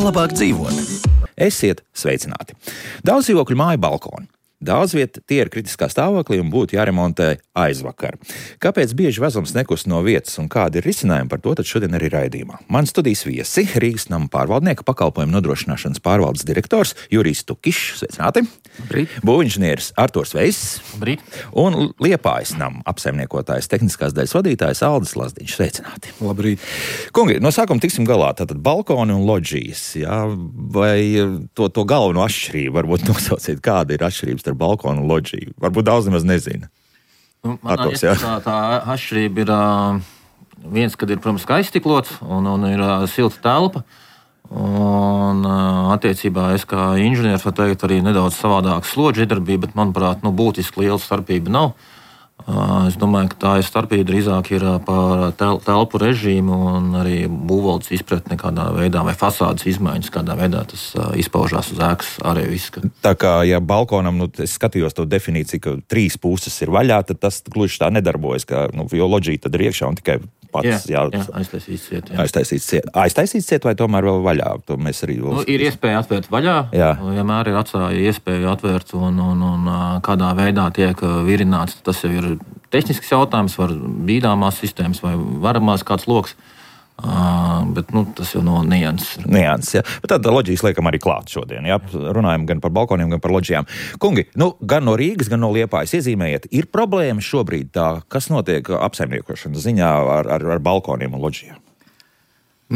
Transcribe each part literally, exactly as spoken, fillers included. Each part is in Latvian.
Kā labāk dzīvot? Esiet sveicināti! Daudz dzīvokļu māju balkoni. Daudz vieta tie ir kritiskā stāvoklī un būtu jāremontē aizvakar. Kāpēc bieži vezums nekust no vietas un kādi ir risinājumi par to, tad šodien arī raidījumā. Man studijas viesi Rīgas nama pārvaldnieka pakalpojumu nodrošināšanas pārvaldes direktors Jurijs Tukišs, sveicināti! Labrīt! Būvinženieris Arturs Veiss. Labrīt! Un Liepājas nama apsaimniekotājs tehniskās daļas vadītājs Aldis Lazdiņš, sveicināti! Labrīt! Kungi, no sākuma tiksim galā, tātad balkoni un loģijas, jā, vai to, to galveno atšķirību varbūt nosauciet, kāda ir atšķirības ar balkonu un loģiju. Varbūt daudz nemaz nezina. Nu, man Atos, tā, tā atšķirība ir uh, viens, kad ir, protams, aizstiklots un, un ir uh, silta telpa. Un uh, attiecībā es kā inženieris varu teikt arī nedaudz savādāk slodžu iedarbība, bet, manuprāt, nu, būtiski liela starpība nav. Uh, es domāju, ka tā ir starpība drīzāk ir uh, par tel, telpu režīmu un arī būvvaldes izpratni kādā veidā vai fasādes izmaiņas, kādā veidā tas uh, izpaužās uz ēkas ārējo izskatu. Tā kā, ja balkonam, nu, es skatījos to definīciju, ka trīs puses ir vaļā, tad tas gluži tā nedarbojas, ka, nu, jo loģija tad ir iekšā un tikai pats jā, jā, aiztaisīts ciet. Aiztaisīts ciet. Aiztaisīts ciet vai tomēr vēl vaļā? To mēs arī vēl... Nu, ir iespēja atvērt vaļā, jā. Vienmēr ir atstāja iespēju atvērt un, un, un kādā veidā tiek virināts. Tas jau ir tehnisks jautājums, var bīdāmās sistēmas vai varamās kāds loks. Uh, bet nu, tas jau no nianses. Nianses, jā. Bet tāda loģijas liekam arī klāt šodien. Jā. Runājam gan par balkoniem, gan par loģijām. Kungi, nu, gan no Rīgas, gan no Liepājas iezīmējiet, ir problēmas šobrīd tā, kas notiek apsaimniekošanas ziņā ar, ar, ar balkoniem un loģijām?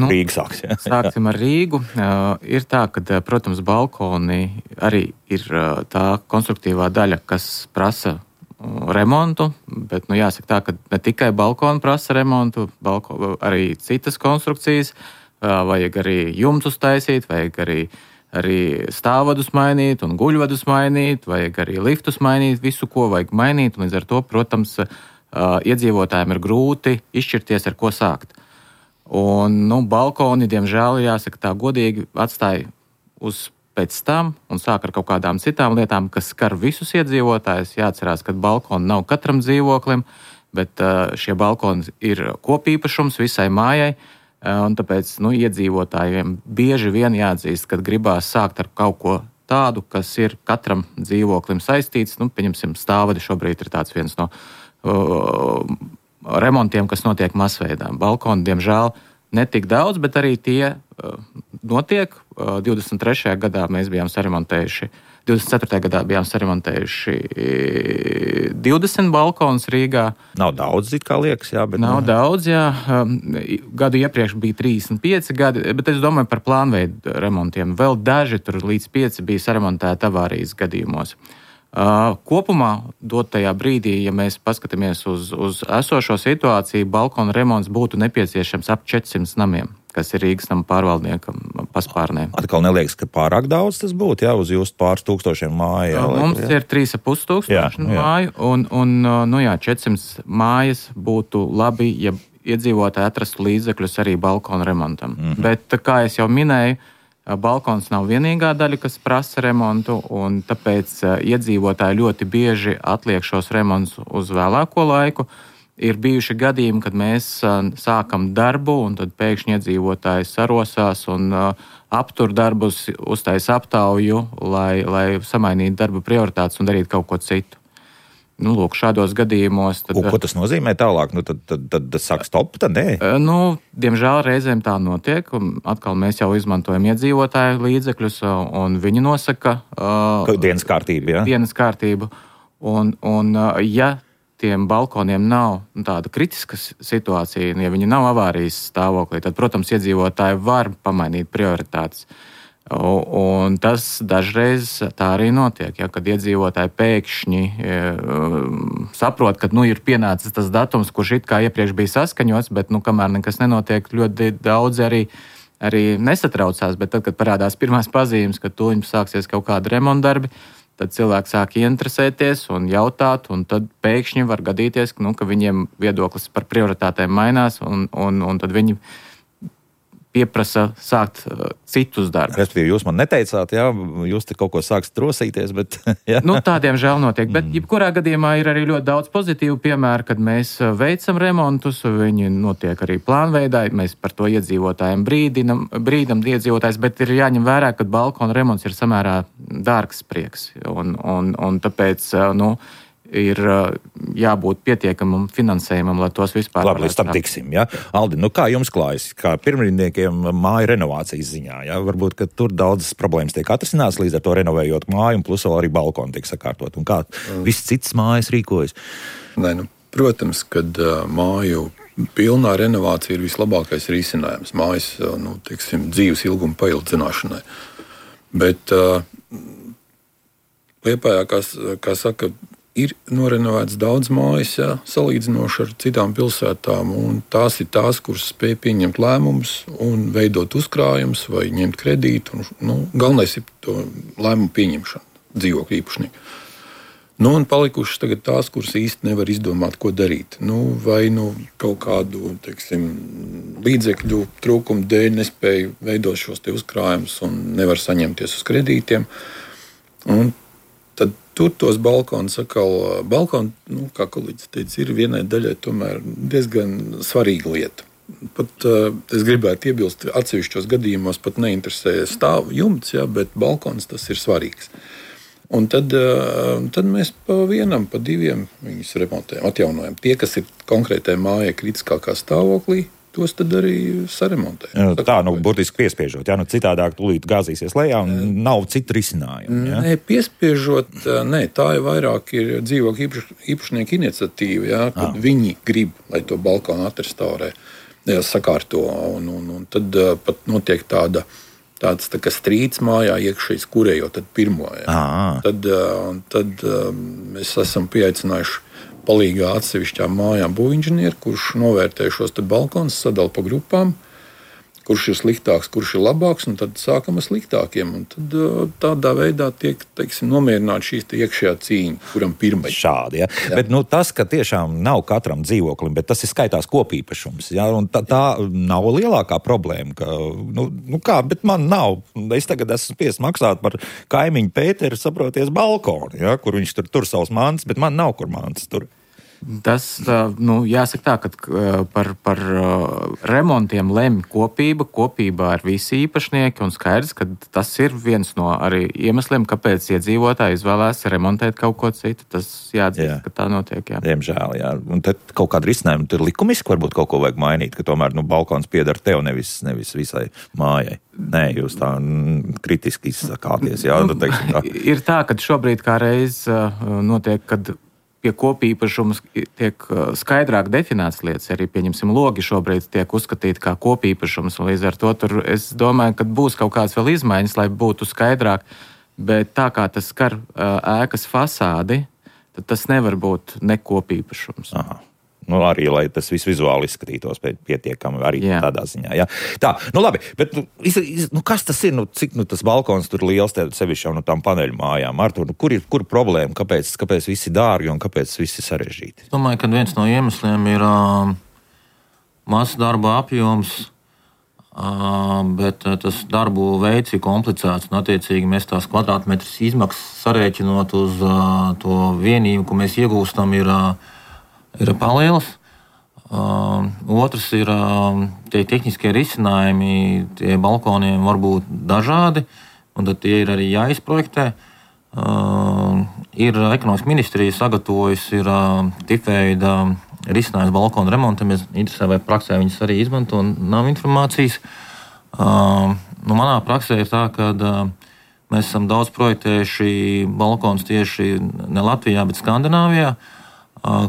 Nu, Rīga sāks, jā. Sāksim ar Rīgu. Uh, ir tā, ka, protams, balkoni arī ir uh, tā konstruktīvā daļa, kas prasa remontu, bet, nu, jāsaka tā, ka ne tikai balkoni prasa remontu, balko, arī citas konstrukcijas, vajag arī jumtus taisīt, vajag arī, arī stāvvadus mainīt un guļvadus mainīt, vajag arī liftus mainīt, visu, ko vajag mainīt, un līdz ar to, protams, iedzīvotājiem ir grūti izšķirties, ar ko sākt. Un, nu, balkoni, diemžēl, jāsaka tā godīgi, atstāja uz pēc tam un sāk ar kaut kādām citām lietām, kas skar visus iedzīvotājus. Jāatcerās, ka balkoni nav katram dzīvoklim, bet šie balkoni ir kopīpašums visai mājai, un tāpēc nu, iedzīvotājiem bieži vien jāatzīst, kad gribās sākt ar kaut ko tādu, kas ir katram dzīvoklim saistīts. Nu, pieņemsim, stāvvadi šobrīd ir tāds viens no uh, remontiem, kas notiek masveidā. Balkoni, diemžēl, netik daudz, bet arī tie uh, notiek. Uh, divdesmit trešajā gadā mēs bijām saremontējuši, divdesmit ceturtajā gadā bijām saremontējuši divdesmit balkonus Rīgā. Nav daudz, it kā liekas, jā. Bet Nav no... daudz, jā. Um, gadu iepriekš bija trīsdesmit pieci gadi, bet es domāju par plānveidu remontiem. Vēl daži tur līdz pieci bija saremontēti avārijas gadījumos. Uh, kopumā dotajā brīdī, ja mēs paskatāmies uz, uz esošo situāciju, balkona remonts būtu nepieciešams ap četrsimt namiem, kas ir Rīgas nama pārvaldniekam paspārnē. Atkal neliekas, ka pārāk daudz tas būtu, jā, uz jūsu pāris tūkstošiem māju. Jā, Mums jā. ir trīs ar pus tūkstoši māju, un, un nu jā, četrsimt mājas būtu labi, ja iedzīvotāji atrastu līdzekļus arī balkona remontam. Mm-hmm. Bet, kā es jau minēju, balkons nav vienīgā daļa, kas prasa remontu, un tāpēc iedzīvotāji ļoti bieži atliek šos remontus uz vēlāko laiku. Ir bijuši gadījumi, kad mēs sākam darbu, un tad pēkšņi iedzīvotāji sarosās un aptur darbus, uztaisa aptauju, lai, lai samainītu darba prioritātes un darītu kaut ko citu. Nu, lūk, šādos gadījumos... Tad, un, ko tas nozīmē tālāk? Nu, tad, tad, tad, tad sāk stop, tad nē? Nu, diemžēl reizēm tā notiek, un atkal mēs jau izmantojam iedzīvotāju līdzekļus, un viņi nosaka... Uh, dienas kārtību, jā? Dienas kārtību. Un, un uh, ja tiem balkoniem nav tāda kritiska situācija, ja viņi nav avārijas stāvoklī, tad, protams, iedzīvotāji var pamainīt prioritātes. Un tas dažreiz tā arī notiek, ja, kad iedzīvotāji pēkšņi e, saprot, ka nu, ir pienācis tas datums, kurš it kā iepriekš bija saskaņots, bet nu, kamēr nekas nenotiek, ļoti daudz arī, arī nesatraucās. Bet tad, kad parādās pirmās pazīmes, ka tūlīt sāksies kaut kāda remontdarbi, tad cilvēki sāk interesēties un jautāt, un tad pēkšņi var gadīties, nu, ka viņiem viedoklis par prioritātēm mainās, un, un, un tad viņi pieprasa sākt uh, citus darbus. Respektīvi, jūs man neteicāt, jā, jūs te kaut ko sākstat rosīties, bet... Jā. Nu, tādiem žēl notiek, bet mm. jebkurā gadījumā ir arī ļoti daudz pozitīvu piemēru, kad mēs veicam remontus, viņi notiek arī plānveidā, mēs par to iedzīvotājiem brīdinam, brīdam iedzīvotājs, bet ir jāņem vērā, ka balkona remonts ir samērā dārgs prieks, un, un, un tāpēc, nu, ir jābūt pietiekamam finansējumam, lai tos vispār... Labi, līdz tam tiksim, jā. Aldi, nu kā jums klājas, kā pirmrindniekiem māju renovācijas ziņā, jā? Varbūt, ka tur daudzas problēmas tiek atrisināts līdz ar to renovējot māju, un plus vēl arī balkoni tiek sakārtot. Un kā mm. viss cits mājas rīkojas? Nē, nu, protams, kad uh, māju pilnā renovācija ir vislabākais risinājums mājas, uh, nu, teiksim, dzīves ilguma paildzināšanai. Bet uh, Liepājā, kā, kā saka, ir norenovēts daudz mājas, jā, salīdzinoši ar citām pilsētām, un tās ir tās, kuras spēj pieņemt lēmumus un veidot uzkrājumus vai ņemt kredītu. Un, nu, galvenais ir to lēmumu pieņemšana dzīvokļu īpašnieku. Nu, un palikušas tagad tās, kuras īsti nevar izdomāt, ko darīt. Nu, vai nu kaut kādu, teiksim, līdzekļu trūkumu dēļ nespēja veidot šos te uzkrājumus un nevar saņemties uz kredītiem. Un tad tur tos balkonus atkal, balkoni, nu, kā kolēģis teica, ir vienai daļai tomēr diezgan svarīga lieta. Pat uh, es gribētu iebilst, atsevišķos gadījumos pat neinteresē stāvu jumts, jā, bet balkons tas ir svarīgs. Un tad, uh, tad mēs pa vienam, pa diviem viņus remontējam, atjaunojam. Tie, kas ir konkrētai mājai kritiskākā stāvoklī, tos tad arī saremontē. Tā, nu, burtiski piespiežot, jā, nu citādāk tūlīt gāzīsies lejā un nav citu risinājumu. Jā? Nē, piespiežot, nē, tā ir vairāk ir dzīvokļu īpaš, īpašnieku iniciatīva, jā, kad ah. viņi grib, lai to balkonu atrestaurē, jā, sakārto, un, un, un tad uh, pat notiek tāda, tāds tā kā strīds mājā iekšējais, kurējot tad pirmo, jā. Ah. Tad, uh, tad uh, mēs esam pieaicinājuši palīgā atsevišķām mājām būvinženieru, kurš novērtē šos te balkonus, sadala pa grupām, kurš ir sliktāks, kurš ir labāks, un tad sākam ar sliktākiem. Un tad tādā veidā tiek, teiksim, nomierināta šīs te iekšējā cīņa, kuram pirmai. Šādi, ja. Jā. Bet, nu, tas, ka tiešām nav katram dzīvoklim, bet tas ir skaitās kopīpašums, ja, un tā, tā nav lielākā problēma, ka, nu, nu kā, bet man nav. Es tagad esmu spiests maksāt par kaimiņu Pēteru, saproties, balkonu, ja, kur viņš tur tur savus mantas, bet man nav kur mantas tur. Tas, nu, jāsaka tā, ka par, par remontiem lemj kopība, kopībā ar visi īpašnieki, un skaidrs, ka tas ir viens no arī iemesliem, kāpēc iedzīvotāji izvēlēs remontēt kaut ko citu. Tas jāatzīst, jā. Ka tā notiek, jā. Diemžēl, jā. Un tad kaut kāda risinājuma, tur likumiski varbūt kaut ko vajag mainīt, ka tomēr, nu, balkons pieder tev, nevis, nevis visai mājai. Nē, jūs tā mm, kritiski izsakāties, jā. Nu, teiksim, tā. Ir tā, ka šobrīd kā reiz notiek, kad pie kopīpašumas tiek skaidrāk definētas lietas, arī, pieņemsim, logi šobrīd tiek uzskatīti kā kopīpašums, un līdz ar to tur es domāju, ka būs kaut kāds vēl izmaiņas, lai būtu skaidrāk, bet tā kā tas skar ēkas fasādi, tad tas nevar būt nekopīpašums. Aha. Nu, arī, lai tas viss vizuāli izskatītos pietiekami arī jā. Tādā ziņā. Jā. Tā, nu labi, bet nu, iz, iz, nu, kas tas ir? Nu, cik nu, tas balkons tur liels tev sevišķi jau no tām paneļu mājām? Artur, nu, kur ir kur problēma? Kāpēc, kāpēc viss ir dārgi un kāpēc viss ir sarežģīti? Es domāju, ka viens no iemesliem ir uh, mazs darba apjoms, uh, bet uh, tas darbu veids ir komplicēts. Un, attiecīgi, mēs tās kvadrātmetras izmaksas sarēķinot uz uh, to vienību, ko mēs iegūstam, ir uh, ir palielas. Uh, otrs ir uh, tie tehniskie risinājumi, tie balkoniem var būt dažādi, un tad tie ir arī jāizprojektē. Uh, ir ekonomikas ministrija sagatavojusi ir uh, tipveida risinājums balkonu remontam. Es interesē, vai praksē viņas arī izmanto, un nav informācijas. Uh, nu, manā praksē ir tā, ka uh, mēs esam daudz projektējuši balkonus tieši ne Latvijā, bet Skandināvijā,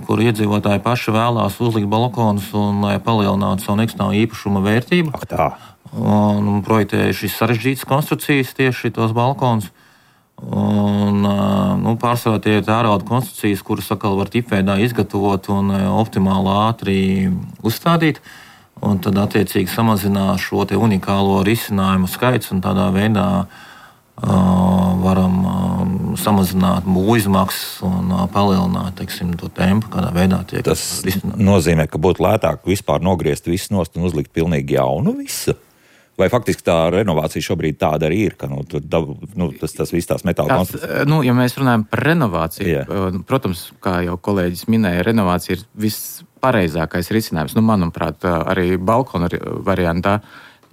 kur iedzīvotāji paši vēlās uzlikt balkonus un lai palielinātu savu nekustamo īpašuma vērtību. Ak, tā. Un, un projektējuši sarežģītas konstrukcijas tieši tos balkonus. Un, nu, pārsvarā tie ir tērauda konstrukcijas, kuras atkal var tipveidā izgatavot un optimāli ātri uzstādīt. Un tad attiecīgi samazināt šo te unikālo risinājumu skaits un tādā veidā Uh, varam uh, samazināt būvizmaksas un uh, palielināt, teiksim, to tempu, kādā veidā tiek tas risināt. Nozīmē, ka būtu lētāk vispār nogriezt visu nost un uzlikt pilnīgi jaunu visu? Vai faktiski tā renovācija šobrīd tāda arī ir, ka nu, tur, nu, tas, tas viss tās metāla konstrukcijas? Nu, ja mēs runājam par renovāciju, yeah. protams, kā jau kolēģis minēja, renovācija ir vispareizākais risinājums, nu, manuprāt, arī balkona variantā,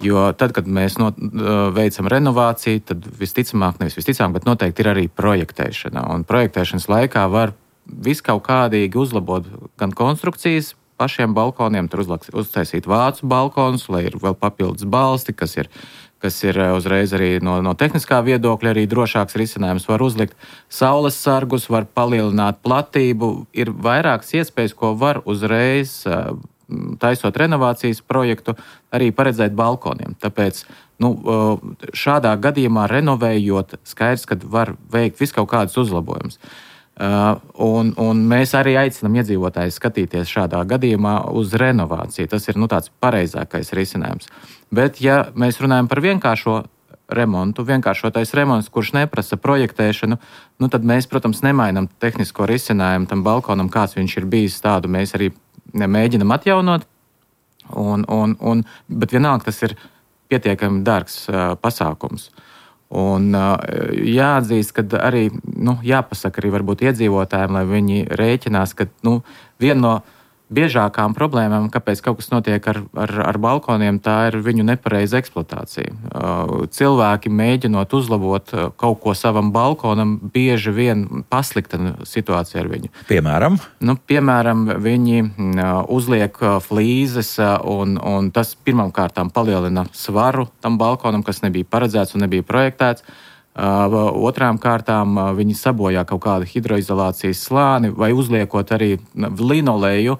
jo tad, kad mēs no, veicam renovāciju, tad visticamāk, nevis visticamāk, bet noteikti ir arī projektēšana, un projektēšanas laikā var viskaut kādīgi uzlabot gan konstrukcijas, pašiem balkoniem, tur uzlaks, uztaisīt vācu balkonus, lai ir vēl papildus balsti, kas ir, kas ir uzreiz arī no, no tehniskā viedokļa arī drošāks risinājums, var uzlikt saules sargus, var palielināt platību, ir vairākas iespējas, ko var uzreiz, taisot renovācijas projektu, arī paredzēt balkoniem. Tāpēc, nu, šādā gadījumā renovējot, skaidrs, ka var veikt viskaut kādus uzlabojumus. Uh, un, un mēs arī aicinām iedzīvotājus skatīties šādā gadījumā uz renovāciju. Tas ir nu, tāds pareizākais risinājums. Bet, ja mēs runājam par vienkāršo remontu, vienkāršotais remonts, kurš neprasa projektēšanu, nu, tad mēs, protams, nemainam tehnisko risinājumu tam balkonam, kāds viņš ir bijis, tādu mēs arī mēģinam atjaunot. Un, un, un, bet vienalga tas ir pietiekami dārgs uh, pasākums. Un jāatzīst, ka arī nu, jāpasaka arī varbūt iedzīvotājiem, lai viņi rēķinās, ka nu, viena no biežākām problēmām, kāpēc kaut kas notiek ar, ar, ar balkoniem, tā ir viņu nepareiza eksploatācija. Cilvēki mēģinot uzlabot kaut ko savam balkonam, bieži vien pasliktina situāciju ar viņu. Piemēram? Nu, piemēram, viņi uzliek flīzes, un, un tas pirmām kārtām palielina svaru tam balkonam, kas nebija paredzēts un nebija projektēts. Otrām kārtām viņi sabojā kaut kādu hidroizolācijas slāni vai uzliekot arī linoleju.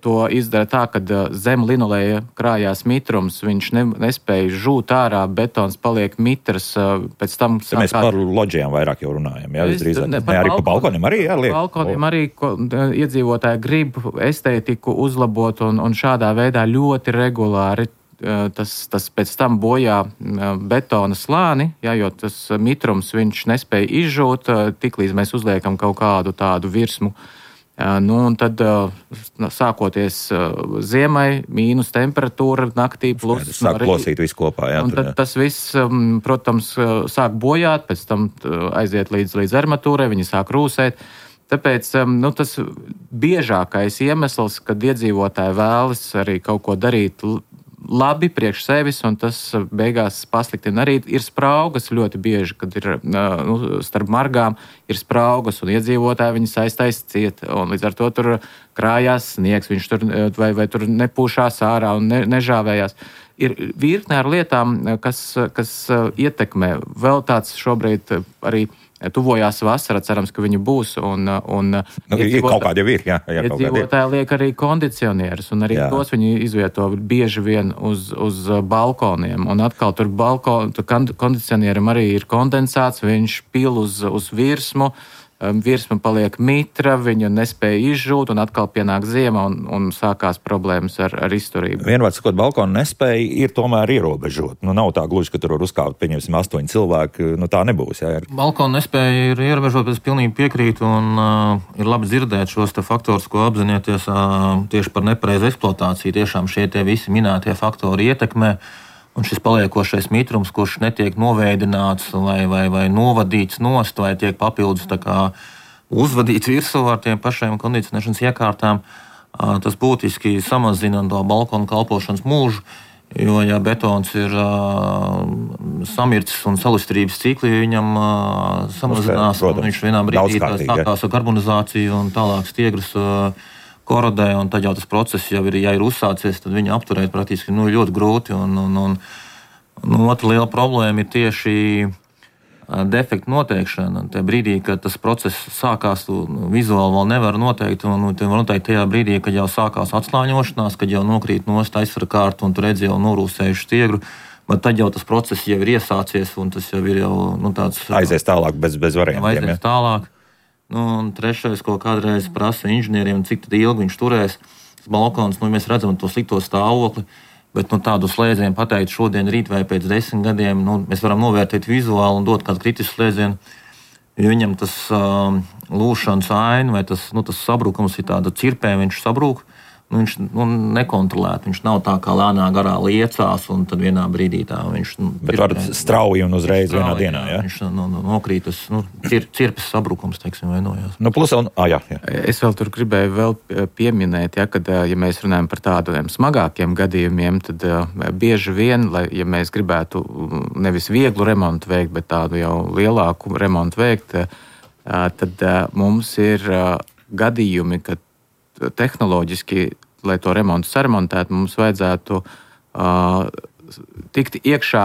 To izdara tā, ka zem linoleja krājās mitrums, viņš ne, nespēja žūt ārā, betons paliek mitrs, pēc tam... Sākāt... Mēs par loģijām vairāk jau runājam, jā, visdrīzāk. Ne, ne, arī pa balkoniem arī jāliek. Balkoniem arī ko, iedzīvotāji grib estētiku uzlabot un, un šādā veidā ļoti regulāri Tas, tas pēc tam bojā betona slāni, jā, jo tas mitrums viņš nespēja izžūt, tiklīdz mēs uzliekam kaut kādu tādu virsmu. Nu, un tad sākoties ziemai, mīnus temperatūra, naktī plus. Sāk plosīt visu kopā, jā. Un tad tas viss, protams, sāk bojāt, pēc tam aiziet līdz, līdz armatūrai, viņi sāk rūsēt. Tāpēc nu, tas biežākais iemesls, kad iedzīvotāji vēlas arī kaut ko darīt labi priekš sevis, un tas beigās pasliktina arī ir spraugas ļoti bieži, kad ir nu, starp margām ir spraugas, un iedzīvotāji viņi saistais ciet, un līdz ar to tur krājās sniegs, viņš tur vai, vai tur nepūšās ārā un ne, nežāvējās. Ir virkne ar lietām, kas, kas ietekmē. Vēl tāds šobrīd arī tuvojās vasara, cerams, ka viņi būs. Un, un nu, kaut kādi jau ir, jā. jā iedzīvotāji liek arī kondicionierus, un arī jā. Tos viņi izvieto bieži vien uz, uz balkoniem. Un atkal tur balkon, tur kondicionierim arī ir kondensāts, viņš pil uz, uz virsmu, virsma paliek mitra, viņu nespēja izžūt, un atkal pienāk ziema, un, un sākās problēmas ar, ar izturību. Vienvārds sakot, balkona nespēja ir tomēr ierobežot. Nu, nav tā gluži, ka tur var uzkāpt, pieņemsim, astoņi cilvēki, nu tā nebūs. Jā. Balkona nespēja ir ierobežot, bet es pilnīgi piekrītu, un uh, ir labi dzirdēt šos te faktorus, ko apzināties uh, tieši par nepareizu eksploatāciju. Tiešām šie tie visi minētie faktori ietekmē. Un šis paliekošais mitrums, kurš netiek novēdināts vai, vai, vai novadīts nost, vai tiek papildus tā kā uzvadīts virsū ar tiem pašiem kondicionēšanas iekārtām, tas būtiski samazina to balkonu kalpošanas mūžu, jo, ja betons ir uh, samircis un salustrības cikli, viņam uh, samazinās, un viņš vienā brīdī sākās ar karbonizāciju un tālāk stiegrus uh, korodē, un tad jau tas process jau ir, ja ir uzsācies, tad viņu apturēt praktiski nu, ļoti grūti. Un, un, un, un otra liela problēma ir tieši defektu noteikšana. Tajā brīdī, kad tas process sākās, tu vizuāli vēl nevar noteikt, un tu var noteikt tajā brīdī, kad jau sākās atslāņošanās, kad jau nokrīt nost aizsvara kārtu, un tu redzi jau norūsējuši stiegru, bet tad jau tas process jau ir iesācies, un tas jau ir jau nu, tāds... Aizies tālāk bez, bez variantiem. Aizies tālāk. Nu, un trešais, ko kādreiz prasa inženieriem, cik tad ilgi viņš turēs. Tas balkons, nu, mēs redzam to slikto stāvokli, bet nu, tādu slēdzienu pateikt šodien, rīt vai pēc desmit gadiem, nu, mēs varam novērtēt vizuāli un dot kādu kritisku slēdzienu, jo viņam tas um, lūšanas aina vai tas, nu, tas sabrukums ir tāda cirpē, viņš sabrūk. nu, viņš nu, nekontrolēti. Viņš nav tā kā lēnā garā liecās, un tad vienā brīdī tā viņš. Nu, Bet var strauji un uzreiz strauji, vienā dienā. Jā, viņš nu, nu, nokrītas, nu, cir, cirpes sabrukums, teiksim, vainojās. Nu, plus, un, ah, jā, jā. Es vēl tur gribēju vēl pieminēt, ja, kad, ja mēs runājam par tādiem smagākiem gadījumiem, tad bieži vien, lai, ja mēs gribētu nevis vieglu remontu veikt, bet tādu jau lielāku remontu veikt, tad mums ir gadījumi, kad tehnoloģiski, lai to remontu saremontētu, mums vajadzētu tikt iekšā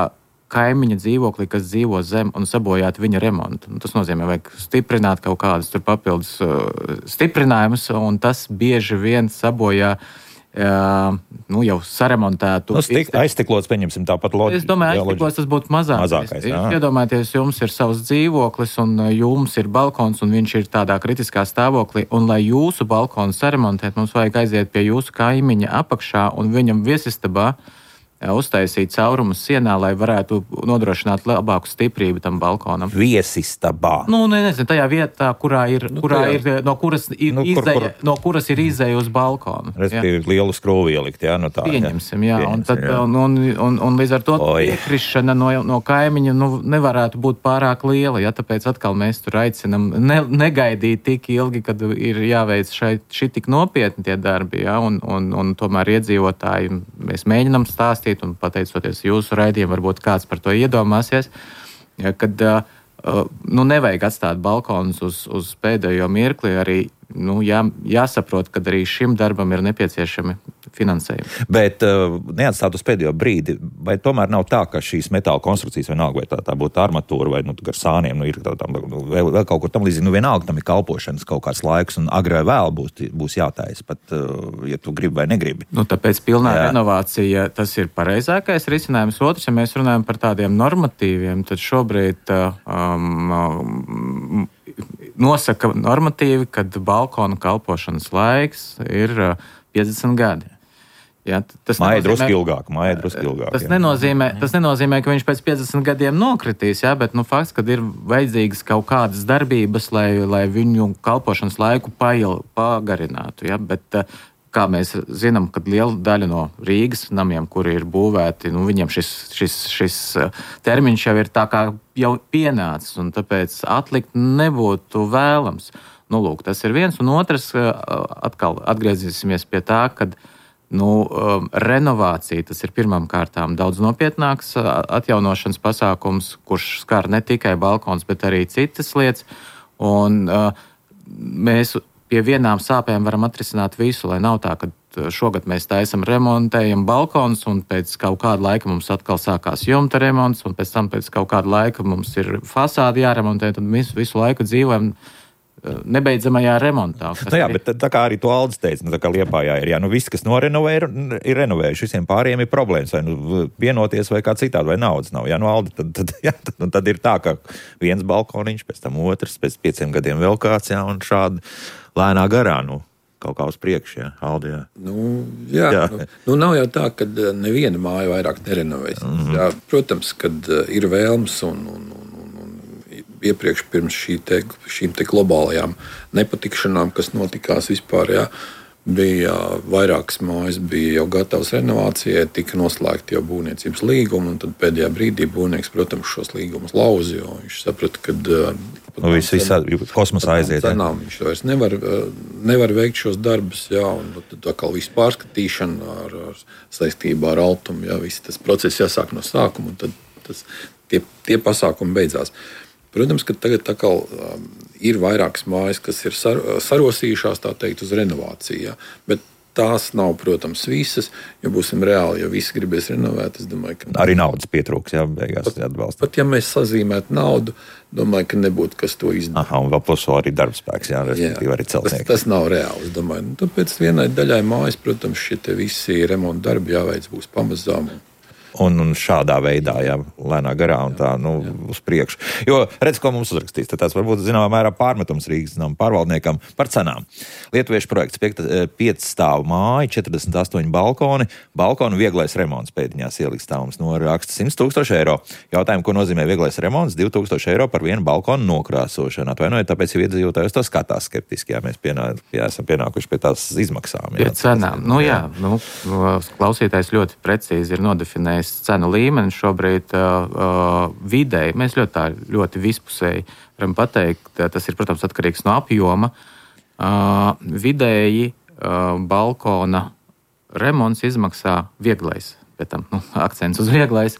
kaimiņa dzīvoklī, kas dzīvo zem un sabojāt viņa remontu. Tas nozīmē, vajag stiprināt kaut kādus tur papildus stiprinājumus, un tas bieži vien sabojā nu, jau saremontētu. Nu, stik, aizstiklots, pieņemsim tāpat loģiski. Es domāju, aizstiklots tas būtu mazākais. mazākais Iedomājieties, jums ir savs dzīvoklis un jums ir balkons un viņš ir tādā kritiskā stāvoklī, un lai jūsu balkonu saremontēt, mums vajag aiziet pie jūsu kaimiņa apakšā un viņam viesistabā uztaisīt caurumus sienā, lai varētu nodrošināt labāku stiprību tam balkonam. Viesistabā. Nu, ne, nezinu, tajā vietā, kurā ir, nu, kurā ir no kuras ir nu, kur, izēja, kur... no kuras ir izēja uz balkonu. Respektīvi, lielu skrūvi ielikt, jā, no tā. Pieņemsim, jā. Pieņemsim, un, tad, jā. Un, un, un, un līdz ar to piekrišana no, no kaimiņa nu, nevarētu būt pārāk liela, ja tāpēc atkal mēs tur aicinam ne, negaidīt tik ilgi, kad ir jāveic šeit šī tik nopietni tie darbi, ja, un, un, un tomēr iedzīvotāji mēs mēģinam stāstīt, un pateicoties jūsu raidījumam, varbūt kāds par to iedomāsies, kad nu, nevajag atstāt balkonus uz, uz pēdējo mirkli, arī nu, jā, jāsaprot, ka arī šim darbam ir nepieciešami finansējumi. Bet uh, neatstāt uz pēdējo brīdi, vai tomēr nav tā, ka šīs metāla konstrukcijas vienalga, vai tā, tā būtu armatūra, vai nu, gar sāniem, nu, ir tā, tā, vēl, vēl kaut kur tam līdzīgi, nu vienalga tam ir kalpošanas kaut kāds laiks, un agrāk vēl būs, būs jātais, pat, uh, ja tu gribi vai negribi. Nu, tāpēc pilnā Jā. renovācija, tas ir pareizākais risinājums. Otrs, ja mēs runājam par tādiem normatīviem, tad šobrīd um, um, nosaka normatīvi, kad balkona kalpošanas laiks ir piecdesmit gadi. Ja, tas māja drusku ilgāk, māja drusku ilgāk. Tas nenozīmē, tas nenozīmē, ka viņš pēc piecdesmit gadiem nokritīs, ja, bet nu, fakts, ka ir vajadzīgas kaut kādas darbības, lai, lai viņu kalpošanas laiku pail, pagarinātu. Ja, bet, kā mēs zinām, kad liela daļa no Rīgas namiem, kuri ir būvēti, nu, viņiem šis, šis, šis termiņš jau ir tā kā jau pienācis, un tāpēc atlikt nebūtu vēlams. Nu, lūk, tas ir viens, un otrs, atkal atgriezīsimies pie tā, kad nu, renovācija, tas ir pirmām kārtām daudz nopietnāks atjaunošanas pasākums, kurš skar ne tikai balkons, bet arī citas lietas, un mēs pie vienām sāpēm varam atrisināt visu, lai nav tā, ka šogad mēs taisam remontējam balkons, un pēc kaut kāda laika mums atkal sākās jumta remonts, un pēc tam pēc kaut kāda laika mums ir fasādi jāremontē, tad mēs visu laiku dzīvojam nebeidzamajā remontā. Nu jā, bet tā kā arī to Aldis teica, nu tā kā Liepājā ir, jā, nu viss, kas norenovē, ir, ir renovējuši, visiem pārējiem ir problēmas, vai nu vienoties, vai kā citādi, vai naudas nav. Jā, nu Aldi, tad, tad, jā, tad, tad ir tā, ka viens balkoniņš, pēc tam otrs, pēc pieciem gadiem vēl kāds, jā, un šādi lēnā garā, nu, kaut kā uz priekšu, jā, Aldi, jā. Nu, jā, jā. Nu, nu nav jau tā, ka neviena māja vairāk nerenovēs. Mm-hmm. Jā, protams, kad ir vēlms un, un, un iepriekš pirms šī te, šīm te globālajām nepatikšanām, kas notikās vispār, jā, bija vairākas mājas, bija jau gatavas renovācijai, tika noslēgti jau būvniecības līgumi, un tad pēdējā brīdī būvnieks, protams, šos līgumus lauzi, jo viņš saprata, ka nu, viss, viss kosmosā aiziet. Cenām, viņš vairs nevar, nevar veikt šos darbus, jā, un tad atkal visu pārskatīšanu ar, ar saistībā ar altumu, jā, viss tas process jāsāk no sākuma, un tad tas, tie, tie pasākumi beidzās. Protams, ka tagad atkal um, ir vairākas mājas, kas ir sar, sarosījušās, tā teikt, uz renovāciju. Ja? Bet tās nav, protams, visas, jo būsim reāli, ja visi gribēs renovēt, es domāju, ka... Arī naudas pietrūks, jā, beigās atbalsta. Pat ja mēs sazīmētu naudu, domāju, ka nebūtu kas to izdara. Aha, un vēl plus arī darbspēks, jā, respektīvi arī celtnieki. Tas, tas nav reāli, es domāju. Nu, tāpēc vienai daļai mājas, protams, šie te visi remonta darbi jāveic būs pamazām. Un, un šādā veidā, jā, lēnā garā un tā, nu, uz priekšu. Jo, redz, ko mums uzrakstīs, tad tas varbūt, zināmā mērā, pārmetums Rīgas zinām pārvaldniekam par cenām. Lietuviešu projekts pieci stāvu māja, četrdesmit astoņi balkoni, balkonu vieglais remonts pēdiņās ieliks stāvums no raksta simt tūkstoši eiro. Jautājumu, ko nozīmē vieglais remonts, divi tūkstoši eiro par vienu balkonu nokrāsošanu. Atvainojiet, tāpēc jau iedzīvotājus to skatās skeptiski, jā, mēs pienā, jā, esam pienākuši pie tās izmaksām. Jā, pie cenām. Nu jā, nu, klausītājs ļoti precīzi ir nodefinējis cenu līmeni šobrīd uh, vidēji. Mēs ļoti tā, ļoti vispusēji varam pateikt, tas ir, protams, atkarīgs no apjoma. Uh, vidēji uh, balkona remonts izmaksā vieglais, bet tam, nu, akcents uz vieglais,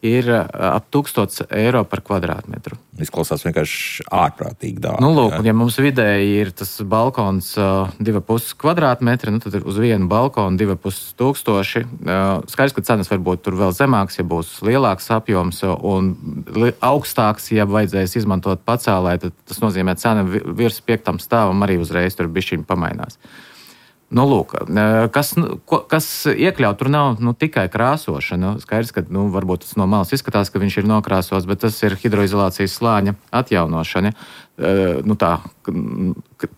ir ap tūkstots eiro par kvadrātmetru. Izklausās vienkārši ārprātīgi dārgi. Nu, lūk, un ja mums vidēji ir tas balkons uh, divi pusi kvadrātmetri, nu, tad uz vienu balkonu divi pusi tūkstoši. Uh, skaidrs, ka cenas varbūt tur vēl zemāks, ja būs lielāks apjoms un li- augstāks, ja vajadzēs izmantot pacēlē, tad tas nozīmē cena virs piektam stāvam arī uzreiz tur bišķiņ pamainās. Nu, lūk, kas, kas iekļaut, tur nav nu, tikai krāsošana. Skaidrs, ka nu, varbūt tas no malas izskatās, ka viņš ir nokrāsos, bet tas ir hidroizolācijas slāņa atjaunošana. Nu, tā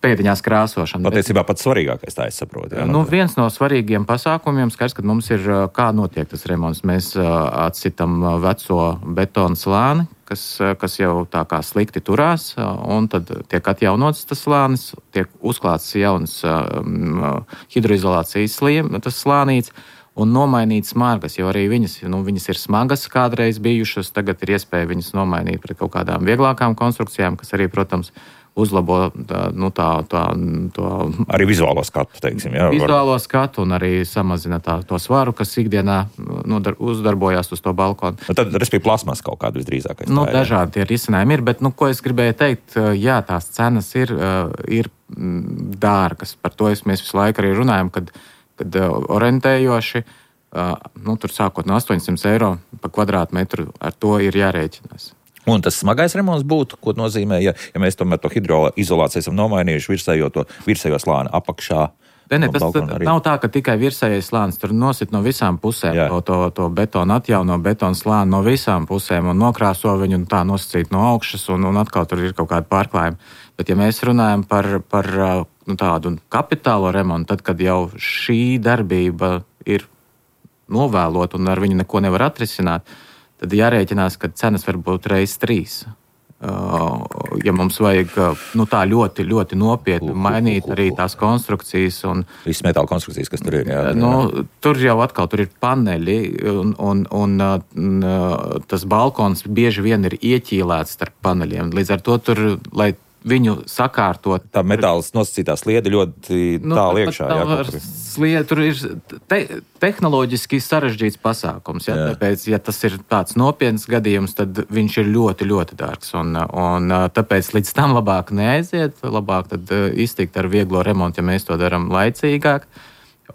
pēdiņās krāsošana. Patiesībā pats svarīgākais, tā es saprotu. Jā, nu, viens no svarīgiem pasākumiem, skaidrs, ka mums ir, kā notiek tas remonts. Mēs atsitam veco betonu slāni, kas, kas jau tā kā slikti turās, un tad tiek atjaunots tas slānis, tiek uzklāts jauns um, hidroizolācijas sliem, tas slānīts, un nomainīt smagas, jo arī viņas, nu, viņas ir smagas kādreiz bijušas, tagad ir iespēja viņas nomainīt pret kaut kādām vieglākām konstrukcijām, kas arī, protams, uzlabo tā, nu, tā, tā, to... Arī vizuālo skatu, teiksim. Jā, vizuālo var... skatu un arī samazina tā, to svaru, kas ikdienā nu, uzdarbojās uz to balkonu. Nu, tad, respektīvi, plasmas kaut kādu visdrīzākais. Nu, tā, dažādi tie risinājumi ir, bet, nu, ko es gribēju teikt, jā, tās cenas ir, ir dārgas. Par to mēs visu laiku arī runājam, kad, kad orientējoši, nu, tur sākot no astoņsimt eiro pa kvadrātmetru, ar to ir jārēķinās. Un tas smagais remonts būtu, ko nozīmē, ja, ja mēs tomēr to hidroizolāciju esam nomainījuši virsējo, to, virsējo slāni apakšā. Ne, ne, tas nav tā, ka tikai virsējais slānis, tur nosit no visām pusēm to, to, to betonu atjauno, betonu slāni no visām pusēm un nokrāso viņu un tā nosacīt no augšas un, un atkal tur ir kaut kāda pārklājuma. Bet ja mēs runājam par, par nu, tādu kapitālo remontu, tad, kad jau šī darbība ir novēlot un ar viņu neko nevar atrisināt, tad jārēķinās, ka cenas var būt reiz trīs. Uh, ja mums vajag nu, tā ļoti, ļoti nopietni mainīt arī tās konstrukcijas. Un, visas metāla konstrukcijas, kas tur ir. Jā, nu, tur jau atkal tur ir paneļi un, un, un, un tas balkons bieži vien ir ieķīlēts starp paneļiem. Līdz ar to tur, lai viņu sakārtot. Tā metāls nosacītā sliede ļoti nu, tālu iekšā. Jā, sliede, tur ir te, tehnoloģiski sarežģīts pasākums. Ja? Tāpēc, ja tas ir tāds nopietns gadījums, tad viņš ir ļoti, ļoti dārgs. Un, un tāpēc līdz tam labāk neaiziet, labāk tad iztikt ar vieglo remontu, ja mēs to darām laicīgāk.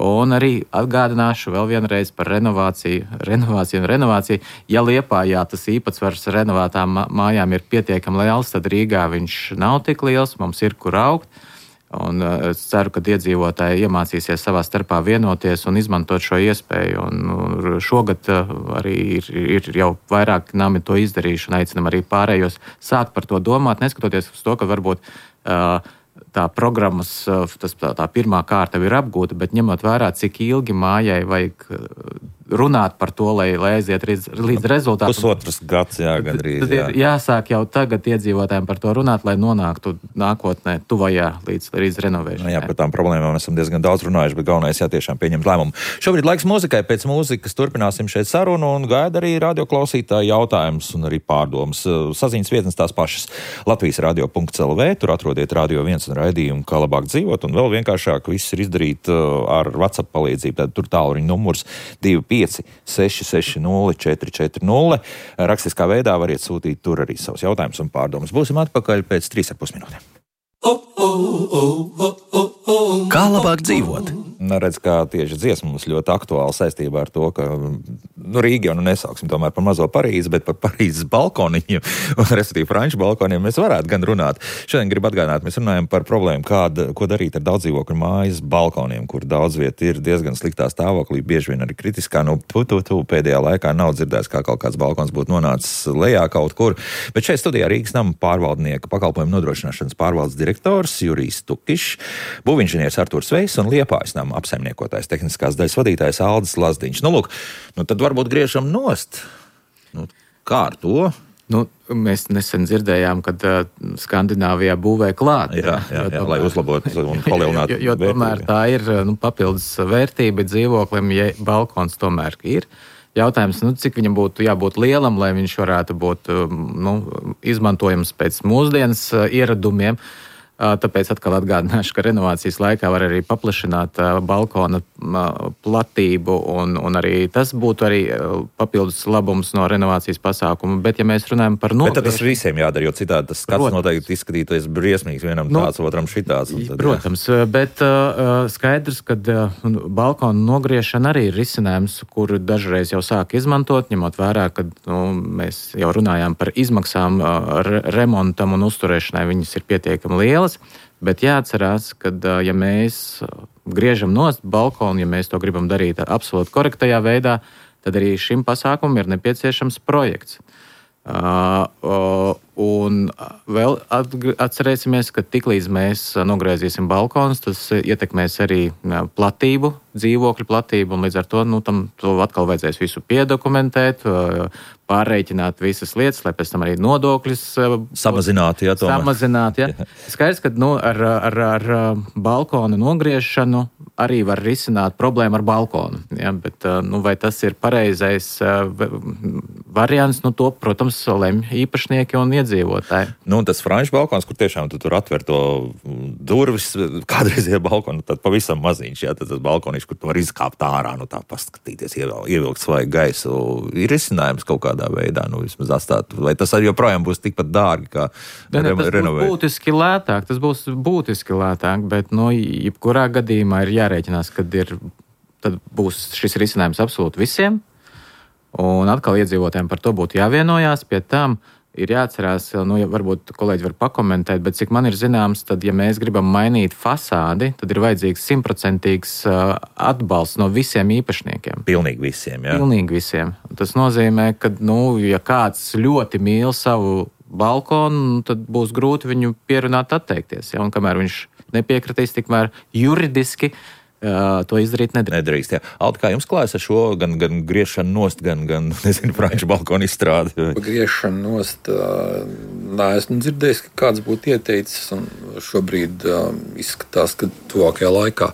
Un arī atgādināšu vēl vienreiz par renovāciju, renovāciju un renovāciju. Ja Liepājā tas īpatsvars renovētām mājām ir pietiekami liels, tad Rīgā viņš nav tik liels, mums ir kur augt. Un es ceru, ka iedzīvotāji iemācīsies savā starpā vienoties un izmantot šo iespēju. Un šogad arī ir, ir jau vairāk nami to izdarījuši un aicinam arī pārējos sākt par to domāt, neskatoties uz to, ka varbūt uh, tā programmas, tas, tā, tā pirmā kārta ir apgūta, bet ņemot vērā, cik ilgi mājai vajag runāt par to, lai, lai aiziet līdz, līdz rezultātam. Pusotras gads, jā, gandrīz. Tad ir jā. jāsāk jau tagad iedzīvotājiem par to runāt, lai nonāktu nākotnē tuvajā līdz, līdz renovēšanai. Nu, jā, par tām problēmām esam diezgan daudz runājuši, bet galvenais jā, tiešām pieņemt lēmumu. Šobrīd laiks mūzikai, pēc mūzikas turpināsim šeit sarunu un gaida arī radioklausītāji jautājums un arī pārdomas. Saziņas vietnes tās pašas Latvijas radio punkts el vē, tur atrodiet Radio viens un raidījumu, kā labāk dzīvot, un vēl vienkāršāk viss ir izdarīt ar WhatsApp palīdzību, tad tur tālruņa numurs divi pieci seši seši nulle četri četri nulle. Rakstiskā veidā variet sūtīt tur arī savus jautājumus un pārdomas. Būsim atpakaļ pēc trīs ar pus minūtēm. Kā labāk dzīvot? Redz, kā tieši dziesma mums ļoti aktuāla saistībā ar to, ka nu, Rīga jau nu nesauksim tomēr par mazo Parīzi, bet par Parīzes balkoniņiem, un respektīvi franču balkoniem mēs varētu gan runāt. Šodien gribu atgādināt, mēs runājam par problēmu, kāda, ko darīt ar daudzdzīvokļu mājas balkoniem, kur daudz vieta ir diezgan sliktā stāvoklī, bieži vien arī kritiskā. Nu, tu, tu, tu pēdējā laikā nav dzirdējis, kā kaut kāds balkons būtu nonācis lejā kaut kur. Bet šeit studijā Rīgas nama pārvaldnieka pakalpojumu nodrošināšanas pārvaldes direktors Jurijs Tukišs, būvinženieris Artūrs Vejs un Liepājas nama apsaimniekotājs tehniskās daļas vadītājs Aldis Lazdiņš. Nu, lūk, nu tad varbūt griežam nost. Nu, kā ar to? Nu, mēs nesen dzirdējām, kad uh, Skandināvijā būvē klāt. Jā, jā, jā, lai uzlabotu un palielinātu jo, jo tomēr tā ir nu, papildus vērtība dzīvoklim, ja balkons tomēr ir. Jautājums, nu, cik viņam būtu jābūt lielam, lai viņš varētu būt nu, izmantojams pēc mūsdienas ieradumiem. Tāpēc atkal atgādināšu, ka renovācijas laikā var arī paplašināt balkona platību, un, un arī tas būtu arī papildus labums no renovācijas pasākuma. Bet, ja mēs runājam par nogriešanu... Bet tad tas visiem jādara, jo citādi tas skats protams. Noteikti izskatīties briesmīgs, vienam nu, tāds, otram šitāds. Tad, protams, jā. Bet uh, skaidrs, ka uh, balkona nogriešana arī ir risinājums, kuru dažreiz jau sāk izmantot, ņemot vērā, ka nu, mēs jau runājām par izmaksām uh, re- remontam un uzturēšanai, viņas ir pietiekami lielas. Bet jāatcerās, ka ja mēs griežam nost balkonu, ja mēs to gribam darīt absolūti korektajā veidā, tad arī šim pasākumam ir nepieciešams projekts. Uh, uh, un vēl atcerēsimies, ka tiklīdz mēs nogriezīsim balkonus, tas ietekmēs arī platību, dzīvokļu platību, un līdz ar to, nu, tam to atkal vajadzēs visu piedokumentēt, pārreikināt visas lietas, lai pēc tam arī nodokļus samazināt. Jā, samazināt jā. Skaidrs, ka nu, ar, ar, ar balkonu nogriešanu arī var risināt problēmu ar balkonu. Jā, bet nu, vai tas ir pareizais variants, nu, to, protams, lemj īpašnieki un iedzīvotāji. Nu, tas franču balkons, kur tiešām tu tur atver to durvis, kādreiz ir balkonu, tad pavisam maziņš, jā, tad tas balkoniņš, kur tu var izkāpt ārā, nu tā paskatīties, ievilkt svaigu gaisu, ir risinājums kaut kādā veidā, nu vismaz atstāt, vai tas arī joprojām būs tikpat dārgi, kā ne, ne, tas renovēt? Būs būtiski lētāk, tas būs būtiski lētāk, bet, nu, jebkurā gadījumā ir jārēķinās, kad ir, tad būs šis risinājums absolūti visiem, un atkal iedzīvotājiem par to būtu jāvienojās, pie tam ir jāatcerās, nu, ja varbūt kolēģi var pakomentēt, bet cik man ir zināms, tad, ja mēs gribam mainīt fasādi, tad ir vajadzīgs simtprocentīgs atbalsts no visiem īpašniekiem. Pilnīgi visiem, jā. Pilnīgi visiem. Tas nozīmē, ka, nu, ja kāds ļoti mīl savu balkonu, tad būs grūti viņu pierunāt atteikties, ja, un kamēr viņš nepiekritīs, tikmēr juridiski Uh, to izdarīt nedrīkst. Nedrīkst, jā. Alti, kā jums klājas ar šo gan, gan griešanu nost, gan, gan nezinu, franču balkonu izstrādi? Griešanu nost, uh, nā, esmu dzirdējis, ka kāds būtu ieteicis, un šobrīd uh, izskatās, ka tuvākajā laikā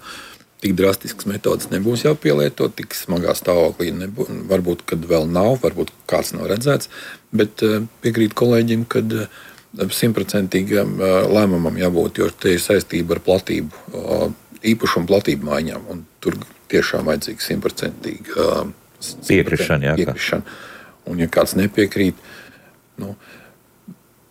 tik drastisks metodas nebūs jāpielieto, tik smagā stāvoklī nebūs, varbūt, kad vēl nav, varbūt kāds nav redzēts, bet uh, piekrīt kolēģim, kad uh, simtprocentīgam uh, lēmumam jābūt, jo te ir saistība ar platību. Uh, īpašumu platību maiņām, un tur tiešām vajadzīga simtprocentīga uh, piekrišana. piekrišana. Un ja kāds nepiekrīt, nu,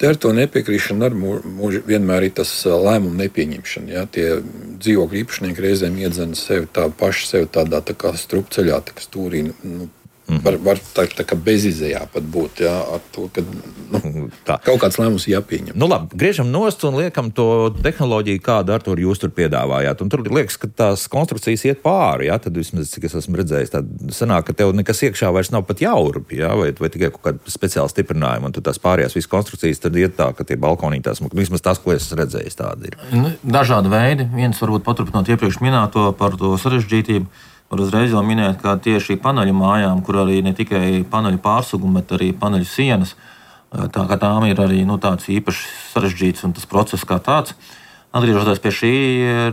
te ar to nepiekrišanu ar mūži vienmēr ir tas lēmumu nepieņemšana. Ja? Tie dzīvokļu īpašnieki reizēm iedzen sevi tā paši sevi tādā tā kā strupceļā, tā kā stūrī, nu, Mm-hmm. Var, var tā, tā kā bezizējā pat būt, jā, ar to, ka nu, kaut kāds lēmums jāpieņem. Nu labi, griežam nost un liekam to tehnoloģiju, kādu ar to jūs tur piedāvājāt. Un tur liekas, ka tās konstrukcijas iet pāri, jā, tad vismaz, cik es esmu redzējis, tad sanāk, ka tev nekas iekšā vairs nav pat jaurupi, jā, vai, vai tikai kaut kāda speciāla stiprinājuma, un tu tās pārējās visas konstrukcijas tad iet tā, ka tie balkonī tās, vismaz tas, ko es redzējis, tādi ir. Dažādi veidi. Viens varbūt paturpinot iepriekš minēto par to sarežģītību. Var uzreiz jau minēt, ka tieši paneļu mājām, kur arī ne tikai paneļu pārsugumi, bet arī paneļu sienas, tā kā tām ir arī nu, tāds īpaši sarežģīts un tas process kā tāds. Atgriežoties pie šī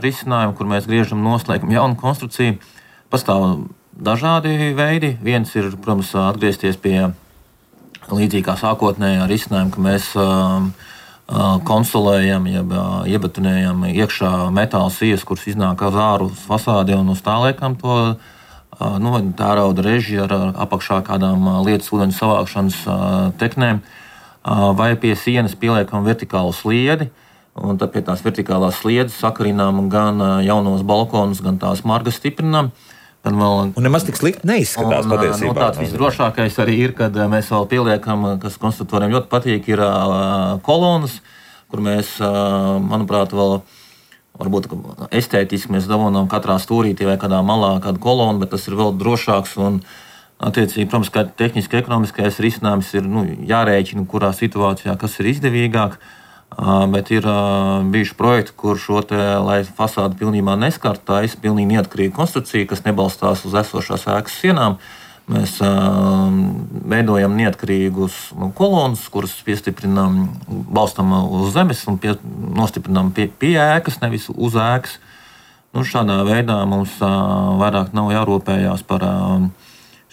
risinājuma, kur mēs griežam noslēgam jaunu konstrukciju, pastāv dažādi veidi. Viens ir, protams, atgriezties pie līdzīgā sākotnējā risinājuma, ka mēs konsolējam, jeb iebetonējam iekšā metāla sijas, kuras iznāk uz āru uz fasādi un uz tā liekam to nu, tērauda reži ar apakšā kādām lietas ūdeņu savākšanas teknēm, vai pie sienas pieliekam vertikālu sliedi, un tad pie tās vertikālās sliedes sakarinām gan jaunos balkonus, gan tās margas stiprinām. Vēl, un nemaz tik slikti neizskatās un, patiesībā. Nu, tāds visdrošākais arī ir, kad mēs vēl pieliekam, kas konstruktoriem ļoti patīk, ir uh, kolonas, kur mēs, uh, manuprāt, vēl varbūt estētiski mēs dabonām katrā stūrītī vai kādā malā kādu kolonu, bet tas ir vēl drošāks un attiecīgi, protams, kā tehniski ekonomiskais risinājums ir nu, jārēķina, kurā situācijā kas ir izdevīgāk. Bet ir uh, bijuši projekti, kur šo te, lai fasādi pilnībā neskartu, taisa pilnīgi neatkarīga konstrukcija, kas nebalstās uz esošās ēkas sienām. Mēs uh, veidojam neatkarīgus nu, kolonus, kuras piestiprinām, balstam uz zemes un pie, nostiprinām pie, pie ēkas, nevis uz ēkas. Nu, šādā veidā mums uh, vairāk nav jārūpējās par uh,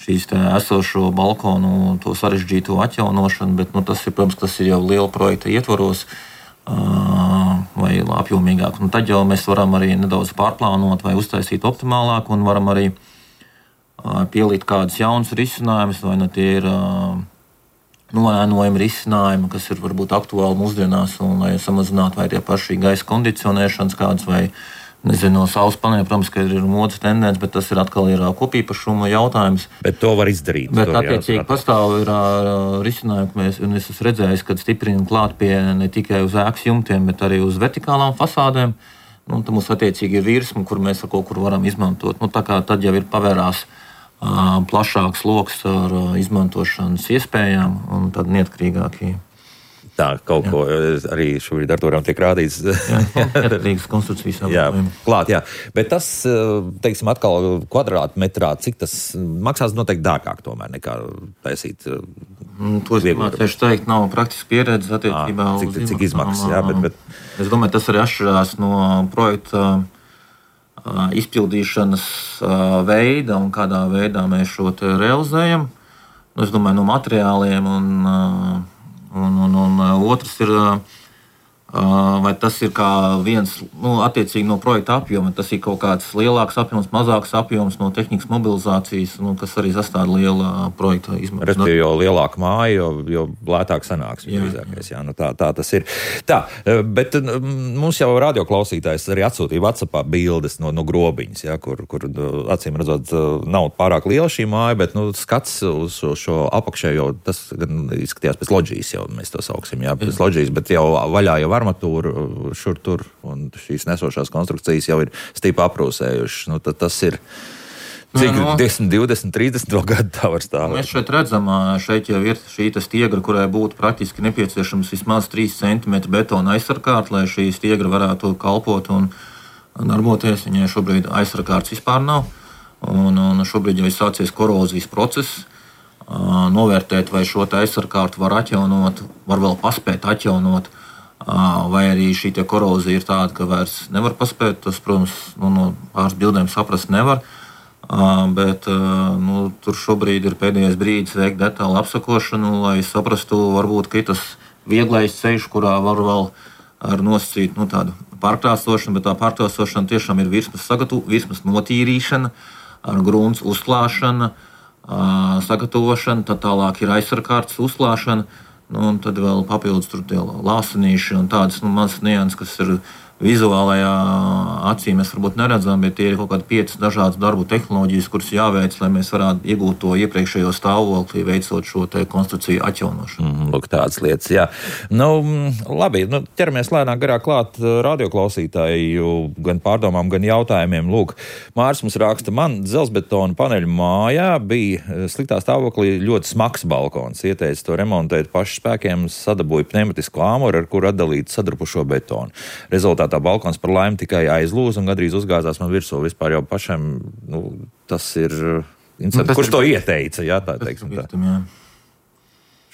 šīs esošo balkonu, to sarežģīto atjaunošanu, bet nu, tas ir, protams, tas ir jau liela projekta ietvaros. Vai apjomīgāk. Un tad jau mēs varam arī nedaudz pārplānot vai uztaisīt optimālāk un varam arī pielikt kādus jaunus risinājumus, vai nu tie ir noēnojami risinājumi, kas ir varbūt aktuāli mūsdienās, un lai samazinātu vai tie paši gaisa kondicionēšanas kādas vai nezinu, no saules paneļa, protams, ka ir modes tendence, bet tas ir atkal ir kopīpašuma jautājums. Bet to var izdarīt. Bet attiecīgi pastāv ir risinājumi, ka mēs, un es esmu redzējis, kad stiprinam klāt pie ne tikai uz ēkas jumtiem, bet arī uz vertikālām fasādēm. Nu, tad mums attiecīgi ir virsma, kur mēs ar kaut kur varam izmantot. Nu, tā kā tad jau ir pavērās uh, plašāks loks ar uh, izmantošanas iespējām un tad neatkarīgākie. Tā kaut jā. Ko arī šobrīd ar to tiek rādīts. Jā, neatkarīgas konstrukcijas. Jā, klāt, jā. Bet tas, teiksim, atkal kvadrātmetrā, cik tas maksās noteikti dārgāk tomēr nekā taisīt. To es mācīšu teikt, nav praktiski pieredzes attiecībā uz cik, cik izmaksas, jā, bet, bet... Es domāju, tas arī atšķirās no projekta izpildīšanas veida un kādā veidā mēs šo te realizējam. Es domāju, no materiāliem un Un, un, un otrs ir, vai tas ir kā viens, nu, attiecīgi no projekta apjoma, tas ir kaut kāds lielāks apjoms, mazāks apjoms no tehnikas mobilizācijas, nu, kas arī sastāv liela projekta izmaksu. Respektīvi, jo lielāka māja, jo, jo lētāk sanāks. Jā, jā. Jā, nu tā, tā tas ir. Tā, bet mums jau radioklausītājs arī atsūtīja WhatsAppā bildes no, no grobiņas, ja, kur, kur acīm redzot nav pārāk liela šī māja, bet nu, skats uz šo apakšējo, tas gan izskatījās pēc loģijas, jau mēs to sauksim, jā, pēc loģijas, bet jau vaļā jau armatūra šur tur, un šīs nesošās konstrukcijas jau ir stīpa aprūsējušas. Nu, tad tas ir cik no, no. desmit, divdesmit, trīsdesmit gadu tā var stāvēt. Mēs šeit redzam, šeit jau ir šī stiegra, kurai būtu praktiski nepieciešams vismaz trīs centimetri betona aizsarkārt, lai šī stiegra varētu kalpot un darboties. Viņai šobrīd aizsarkārts vispār nav, un, un šobrīd jau ir sācies korozijas process. Novērtēt, vai šo aizsarkārtu var atjaunot, var vēl paspēt atjaunot, vai arī šī korozija ir tāda, ka vairs nevar paspēt. Tas, protams, nu, no pāris bildēm saprast nevar, bet nu, tur šobrīd ir pēdējais brīdis veikt detālu apsakošanu, lai saprastu, varbūt, ka ir tas vieglais ceļš, kurā var vēl ar nosacīt nu, tādu pārkrāsošanu, bet tā pārkrāsošana tiešām ir virsmas sagatu, virsmas notīrīšana, ar grunts uzklāšana, sagatavošana, tad tālāk ir aizsarkārtas uzklāšana, nu, un tad vēl papildus tur tie lāsanīši un tādas nu, mazas nianses, kas ir vizuālajā acī mēs varbūt neredzam, bet tie ir kaut kādi piecas dažādas darbu tehnoloģijas, kuras jāveic, lai mēs varētu iegūt to iepriekšējo stāvokli, veicot šo te konstrukciju atjaunošanu. Mm, lūk, tādas lietas, jā. Nu, labi, nu, ķeramies lēnāk garāk klāt radioklausītāju gan pārdomām, gan jautājumiem. Lūk, Māris mums raksta, man dzelzbetona paneļu mājā bija sliktā stāvoklī ļoti smags balkons. Ieteica to remontēt pašu spēkiem, sadabūja pneumatisku āmuru, ar kuru atdalīt sadrupušo betonu. Rezultātā tā balkons par laimi tikai aizlūza un gandrīz uzgāzās man virsū. Vispār jau pašam, nu, tas ir interesanti. Nu, Kurš ir... to ieteica, jā, tā teiksim tā. Jā.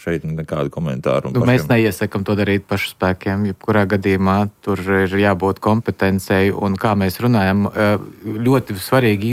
Šeit nekādu komentāru. Nu, mēs neiesakam to darīt pašu spēkiem, jebkurā gadījumā tur ir jābūt kompetencei, un kā mēs runājam, ļoti svarīgi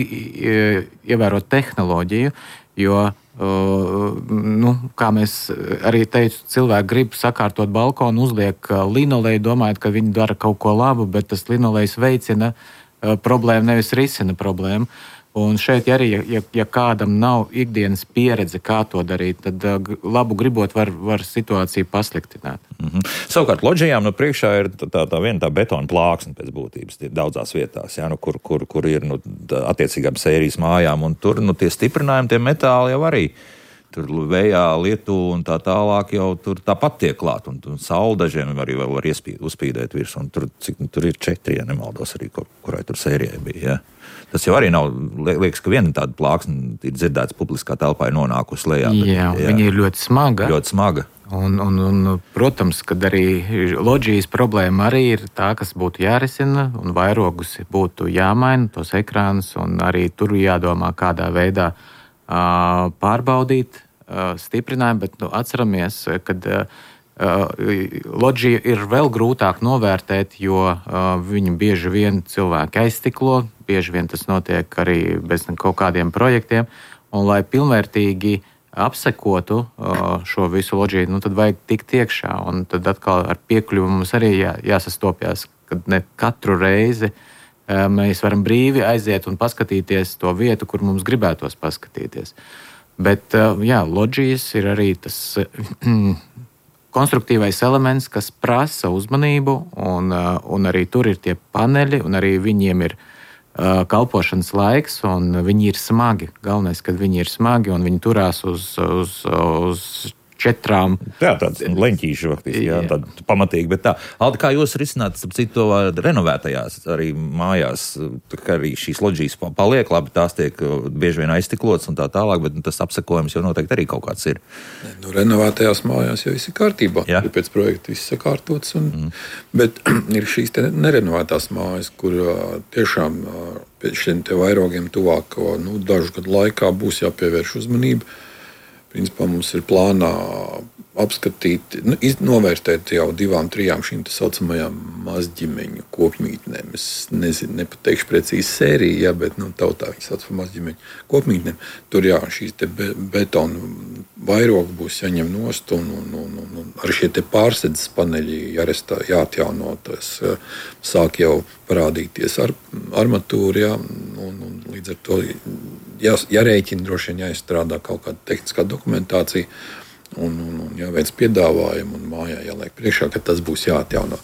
ievērot tehnoloģiju, jo Uh, nu, kā mēs arī teicu, cilvēki grib sakārtot balkonu, uzliek linoleju, domājot, ka viņi dara kaut ko labu, bet tas linolejs veicina uh, problēmu, nevis risina problēmu. Un šeit arī, ja, ja kādam nav ikdienas pieredze, kā to darīt, tad labu gribot var, var situāciju pasliktināt. Mm-hmm. Savukārt loģijām no priekšā ir tā, tā, tā viena tā betona plāksne pēc būtības daudzās vietās, ja, nu, kur, kur, kur ir nu, attiecīgām sērijas mājām, un tur nu, tie stiprinājumi, tie metāli jau arī tur vējā, lietu un tā tālāk jau tur tāpat tiek klāt, un, un saule dažiem arī vēl var iespīd, uzspīdēt virs, un tur, cik, tur ir četri, ja nemaldos arī, kur, kurai tur sērijai bija, ja. Tas jau arī nav, liekas, ka viena tāda plāksne ir dzirdēts publiskā telpā ir nonākusi lejā. Bet, jā, jā, viņa ir ļoti smaga. Ļoti smaga. Un, un, un, protams, kad arī loģijas problēma arī ir tā, kas būtu jārisina, un vairogus būtu jāmaina, tos ekrānus, un arī tur jādomā, kādā veidā uh, pārbaudīt uh, stiprinājumu, bet nu, atceramies, kad uh, loģiju ir vēl grūtāk novērtēt, jo uh, viņu bieži vien cilvēki aizstiklo, bieži vien tas notiek arī bez kaut kādiem projektiem, un lai pilnvērtīgi apsekotu uh, šo visu loģiju, nu tad vajag tikt iekšā, un tad atkal ar piekļuvu mums arī jā, jāsastopjas, kad ne katru reizi uh, mēs varam brīvi aiziet un paskatīties to vietu, kur mums gribētos paskatīties. Bet uh, jā, loģijas ir arī tas konstruktīvais elements, kas prasa uzmanību, un, un arī tur ir tie paneļi, un arī viņiem ir uh, kalpošanas laiks, un viņi ir smagi. Galvenais, kad viņi ir smagi, un viņi turās uz, uz, uz četrām. Jā, tāds leņķīši faktiski, jā, jā. Tāda pamatīgi, bet tā. Aldi, kā jūs risināt, starp citu, renovētajās arī mājās, ka arī šīs loģijas paliek labi, tās tiek bieži vien aizstiklotas un tā tālāk, bet tas apsekojums jau noteikti arī kaut kāds ir. Nu, renovētajās mājās jau viss ir kārtībā, jā. Ir pēc projekta viss sakārtots, un, mm. bet ir šīs te nerenovētās mājas, kur tiešām pēc šiem te vairogiem tuvāk, nu, dažu gadu laikā būs jāpievērš uzmanība. Principā mums ir plānā apskatīt, nu, novērtēt jau divām, trijām šīm tā saucamajām mazģimeņu kopmītnēm. Es nezinu, nepateikšu precīzi sēriju, jā, bet nu, tautā viņi sauc par mazģimeņu kopmītnēm. Tur jā, šīs te be, betona vairogi būs jāņem nost, un, un, un, un, un ar šie te pārsedzes paneļi jārestā, jāatjauno, tas sāk jau parādīties ar, armatūra, jā, un, un līdz ar to jā, jārēķina, droši vien jāizstrādā kaut kāda tehniskā dokumentācija, un, un, un jāveic piedāvājumu, un mājā jāliek priekšā, ka tas būs jāatjauno.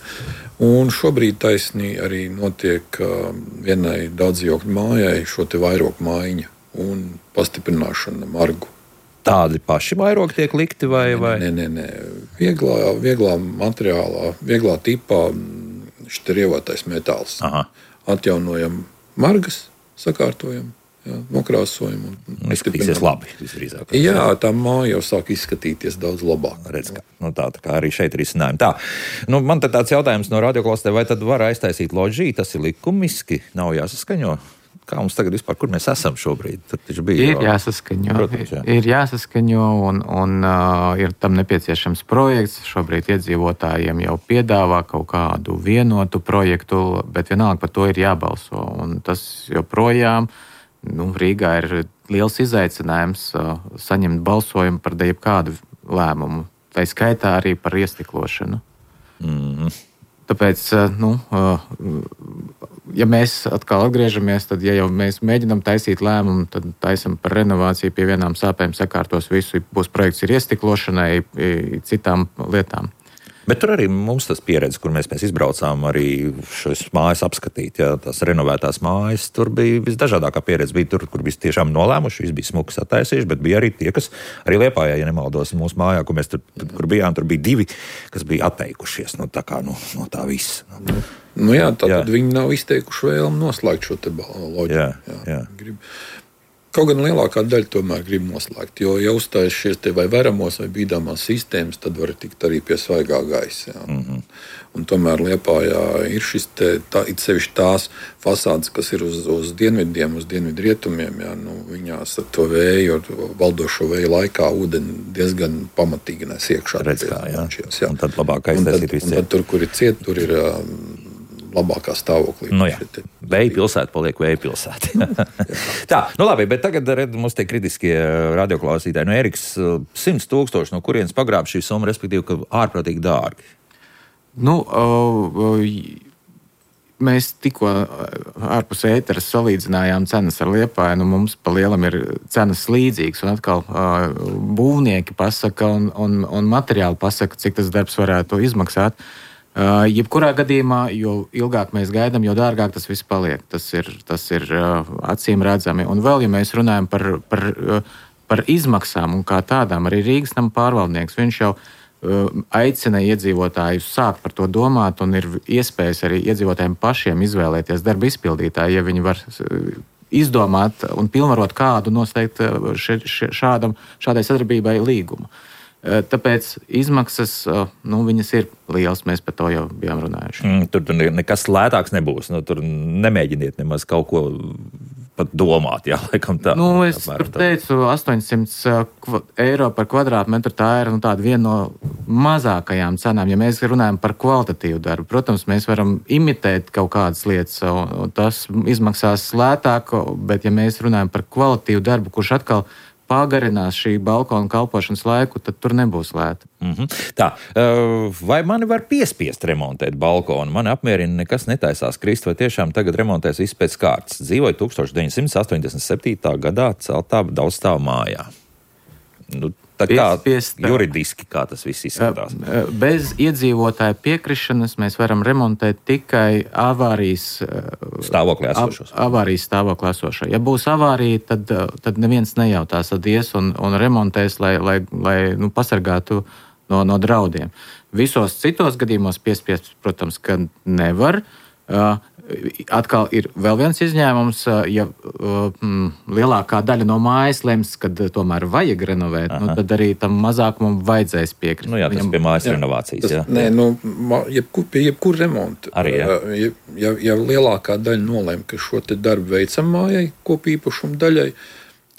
Un šobrīd taisnī arī notiek uh, vienai daudzdzīvokļu mājai šo te vairogu mājiņa un pastiprināšana margu. Tādi paši vairogi tiek likti vai? vai? Nē, nē, nē. Vieglā, vieglā materiālā, vieglā tipā šit ir ievotais metāls. Aha. Atjaunojam margas, sakārtojam. Jā, nokrāsojumu. Izskatīsies labi, visdrīzāk. Jā, tā māja jau sāk izskatīties daudz labāk. Redz, kā, nu tā, tā kā arī šeit ir izcinājumi. Tā, nu man tad tāds jautājums no radioklausē, vai tad var aiztaisīt loģiju, tas ir likumiski, nav jāsaskaņo? Kā mums tagad vispār, kur mēs esam šobrīd? Tur taču bija. Ir jāsaskaņo, Protams, jā. ir jāsaskaņo un, un uh, ir tam nepieciešams projekts. Šobrīd iedzīvotājiem jau piedāvā kaut kādu vienotu projektu, bet vienalga par to ir jābalso. Un tas joprojām Nu, Rīgā ir liels izaicinājums uh, saņemt balsojumu par jebkādu lēmumu, tā skaitā arī par iestiklošanu. Mm-hmm. Tāpēc, uh, nu, uh, ja mēs atkal atgriežamies, tad, ja jau mēs mēģinām taisīt lēmumu, tad taisam par renovāciju, pie vienām sāpēm sakārtos visu, būs projekts ir iestiklošanai, citām lietām. Bet tur arī mums tas pieredze, kur mēs, mēs izbraucām arī šīs mājas apskatīt, ja, tās renovētās mājas, tur bija visdažādākā pieredze. Bija tur, kur bija tiešām nolēmuši, viss bija smuki sataisījuši, bet bija arī tie, kas arī Liepājā, ja nemaldos, mūsu mājā, kur mēs tur, kur bijām, tur bija divi, kas bija atteikušies no tā kā, no, no tā viss. Nu jā, tātad jā. Viņi nav izteikuši vēlmu noslēgt šo te loģiju. Jā, jā. jā. Grib. Kaut gan lielākā daļa tomēr grib noslēgt, jo, ja uzstājas šies te vai veramos vai bīdāmās sistēmas, tad var tikt arī pie svaigā gaisa. Mm-hmm. Un tomēr Liepājā ir šis te, tā, it sevišķi tās fasādes, kas ir uz, uz dienvidiem, uz dienvidu rietumiem, jā, nu, viņās ar to vēju, ar valdošo vēju laikā ūdeni diezgan pamatīgi nes iekšā. Redz kā, jā. Šīs, jā. Un tad labāk aiztaisīt visu. Un tad tur, kur ir ciet, tur ir labākā stāvoklī. Nu jā, vēja pilsēta paliek vēja pilsēta. Tā, nu labi, bet tagad red, mums tie kritiskie radioklausītāji. Nu, Eriks, simts tūkstoši, no kurienes pagrāb šī summa, respektīvi, ka ārprātīgi dārgi? Nu, uh, mēs tikko ārpus ēteras salīdzinājām cenas ar Liepāju, nu mums pa lielam ir cenas līdzīgas, un atkal būvnieki pasaka un, un, un materiāli pasaka, cik tas darbs varētu izmaksāt. Uh, jebkurā gadījumā, jo ilgāk mēs gaidām, jo dārgāk tas viss paliek. Tas ir, tas ir uh, acīm redzami. Un vēl, ja mēs runājam par, par, uh, par izmaksām un kā tādām, arī Rīgas nama pārvaldnieks, viņš jau uh, aicina iedzīvotājus sākt par to domāt, un ir iespējas arī iedzīvotājiem pašiem izvēlēties darba izpildītāju, ja viņi var uh, izdomāt un pilnvarot kādu noslēgt uh, še, še, šādam, šādai sadarbībai līgumu. Tāpēc izmaksas, nu, viņas ir lielas, mēs par to jau bijām runājuši. Mm, tur, tur nekas lētāks nebūs, nu, tur nemēģiniet nemaz kaut ko pat domāt, jā, laikam tā. Nu, es tur teicu, astoņsimt eiro par kvadrātmetru, tā ir nu, tāda viena no mazākajām cenām, ja mēs runājam par kvalitatīvu darbu. Protams, mēs varam imitēt kaut kādas lietas, un tas izmaksās lētāk, bet ja mēs runājam par kvalitīvu darbu, kurš atkal pagarinās šī balkona kalpošanas laiku, tad tur nebūs lēta. Mm-hmm. Tā, vai mani var piespiest remontēt balkonu? Mani apmierina, nekas netaisās krist, vai tiešām tagad remontēs viss pēc kārtas. Dzīvoju tukstovš deviņsimt astoņdesmit septītā gadā celtā daudzstāvu mājā. Nu, tā kā Piespiest, juridiski, kā tas viss izskatās? Bez iedzīvotāja piekrišanas mēs varam remontēt tikai avārijas stāvoklī esošos. Av, avārijas stāvoklī esošo. Ja būs avārija, tad, tad neviens nejautās, tad ies un, un remontēs, lai, lai, lai nu, pasargātu no, no draudiem. Visos citos gadījumos piespiest, protams, ka nevar. Atkal ir vēl viens izņēmums, ja mm, lielākā daļa no mājas lems, kad tomēr vajag renovēt, nu, tad arī tam mazākumam vajadzēs piekrist. Nu jā, tas Viņam, pie mājas jā, renovācijas. Tas, jā. Nē, nu, jebkur, pie jebkur remonta. Arī, jā. Ja, ja, ja lielākā daļa nolēma, ka šo te darbu veicam mājai, kopīpašumu daļai,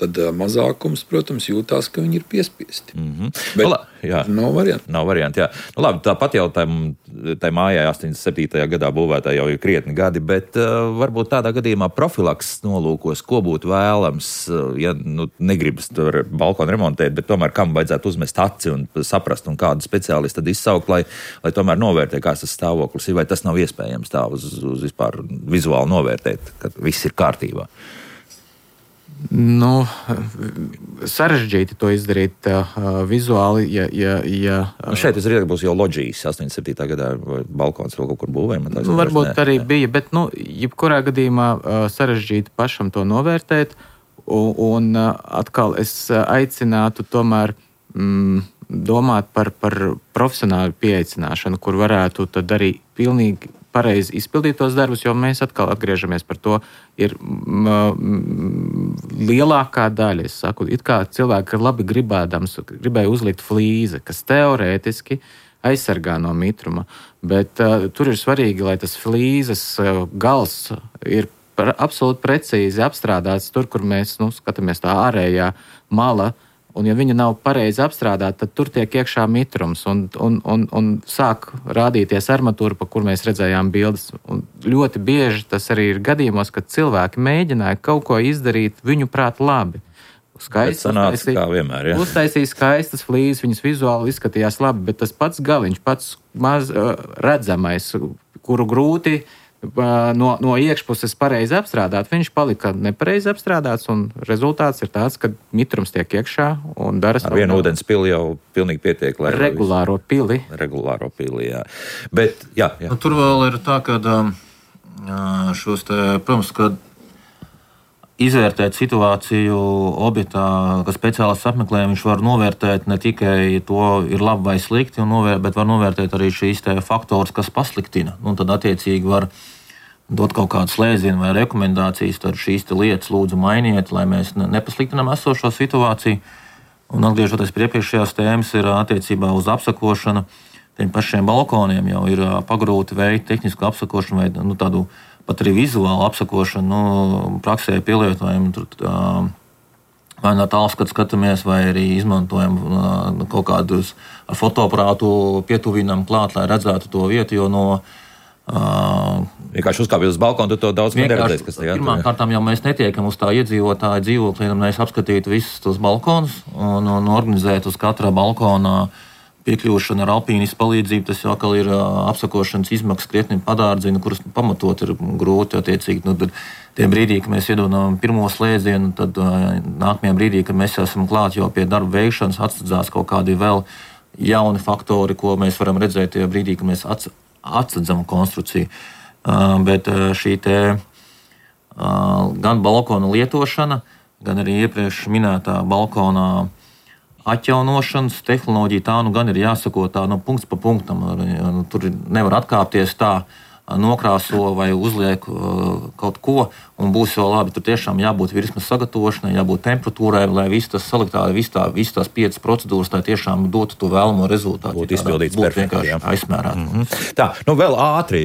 tad mazākums, protams, jūtās, ka viņi ir piespiesti. Mm-hmm. Bet Ola, jā. nav varianti. Nav varianti, jā. Nu, labi, tāpat jau tai mājai astoņdesmit septītajā gadā būvētā jau ir krietni gadi, bet uh, varbūt tādā gadījumā profilakses nolūkos, ko būtu vēlams, uh, ja nu, negribas tur balkonu remontēt, bet tomēr kam vajadzētu uzmest aci un saprast, un kādu speciālistu tad izsaukt, lai, lai tomēr novērtē, kāds tas stāvoklis ir, vai tas nav iespējams tā uz, uz vispār vizuāli novērtēt, ka viss ir kārtībā. Nu, sarežģīti to izdarīt uh, vizuāli, ja... ja, ja nu šeit es redzu, ka būs jau loģijas astoņdesmit septītā gadā, vai balkons vēl kaut kur būvējam. Nu, varbūt arī jā. bija, bet, nu, jebkurā gadījumā uh, sarežģīti pašam to novērtēt, un, un uh, atkal es aicinātu tomēr mm, domāt par, par profesionālu pieaicināšanu, kur varētu tad arī pilnīgi pareizi izpildīt tos darbus, jo mēs atkal atgriežamies par to, ir m, m, lielākā daļa, es saku, it kā cilvēki ir labi gribēdams, gribēja uzlikt flīzi, kas teorētiski aizsargā no mitruma, bet uh, tur ir svarīgi, lai tas flīzes uh, gals ir par, absolūti precīzi apstrādāts tur, kur mēs, nu, skatāmies tā ārējā mala, un ja viņa nav pareizi apstrādāta, tad tur tiek iekšā mitrums un, un, un, un sāk rādīties armatūra, pa kur mēs redzējām bildes. Un ļoti bieži tas arī ir gadījumos, kad cilvēki mēģināja kaut ko izdarīt viņu prāt labi. Skaisti, sanāca, uztaisīja, kā vienmēr, ja? Uztaisīja skaistas flīzes, viņas vizuāli izskatījās labi, bet tas pats galiņš, pats maz uh, redzamais, kuru grūti No, no iekšpuses pareizi apstrādāt, viņš palika nepareizi apstrādāts, un rezultāts ir tāds, ka mitrums tiek iekšā un dara ar vienu ūdens pili jau pilnīgi pietiek, lai regulāro pili. Regulāro pili, jā. Bet, jā, jā. Nu, tur vēl ir tā, ka šos te, protams, ka izvērtēt situāciju objektā, ka speciālists apmeklē, viņš var novērtēt ne tikai to ir labi vai slikti, novērt, bet var novērtēt arī šīs te faktors, kas pasliktina. Un tad attiecīgi var dot kaut kādu slēdzienu vai rekomendācijas, tad šīs te lietas lūdzu mainiet, lai mēs nepasliktinām esošo situāciju. Un atgriežoties pie iepriekšējās tēmas, ir attiecībā uz apsakošanu. Tiem pašiem balkoniem jau ir pagrūti veikt tehnisku apsakošanu vai nu, tādu pat arī vizuālu apsakošanu, nu, praksē pielietojam tur vai no tālskatu skatāmies, vai arī izmantojam uh, kaut kādus ar fotoaparātu pietuvinām klāt, lai redzētu to vietu, jo no uh, vienkārši uzkāpjot uz balkonu, tu to daudz neredzēs, kas tajā. Pirmām kārtām jau mēs netiekam uz tā iedzīvotāja dzīvokļa, lai mēs apskatītu visus tos balkonus un, un organizēt uz katra balkonā piekļūšana ar alpīnistu palīdzību, tas jau atkal ir apsakošanas izmaksas krietni padārdzina, kuras pamatot ir grūti attiecīgi. Nu, tad tie brīdī, kad mēs iedodam pirmo slēdzienu, tad nākamajā brīdī, kad mēs esam klāt jau pie darba veikšanas, atsadzās kaut kādi vēl jauni faktori, ko mēs varam redzēt tajā brīdī, kad mēs atsadzam konstrukciju. Bet šī te gan balkona lietošana, gan arī iepriekš minētā balkonā atjaunošanas tehnoloģija, tā nu gan ir jāsako tā no punkts pa punktam. Tur nevar atkāpties tā, nokrāso vai uzliek kaut ko, un būs jau labi. Tur tiešām jābūt virsmas sagatavošanai, jābūt temperatūrai, lai viss tas saliktā, viss tā, viss tās piecas procedūras, lai tiešām dotu to vēlamo rezultātu. Būtu izpildīts perfekti, jā. Aizsmērāt. Mm-hmm. Tā, nu vēl ātri,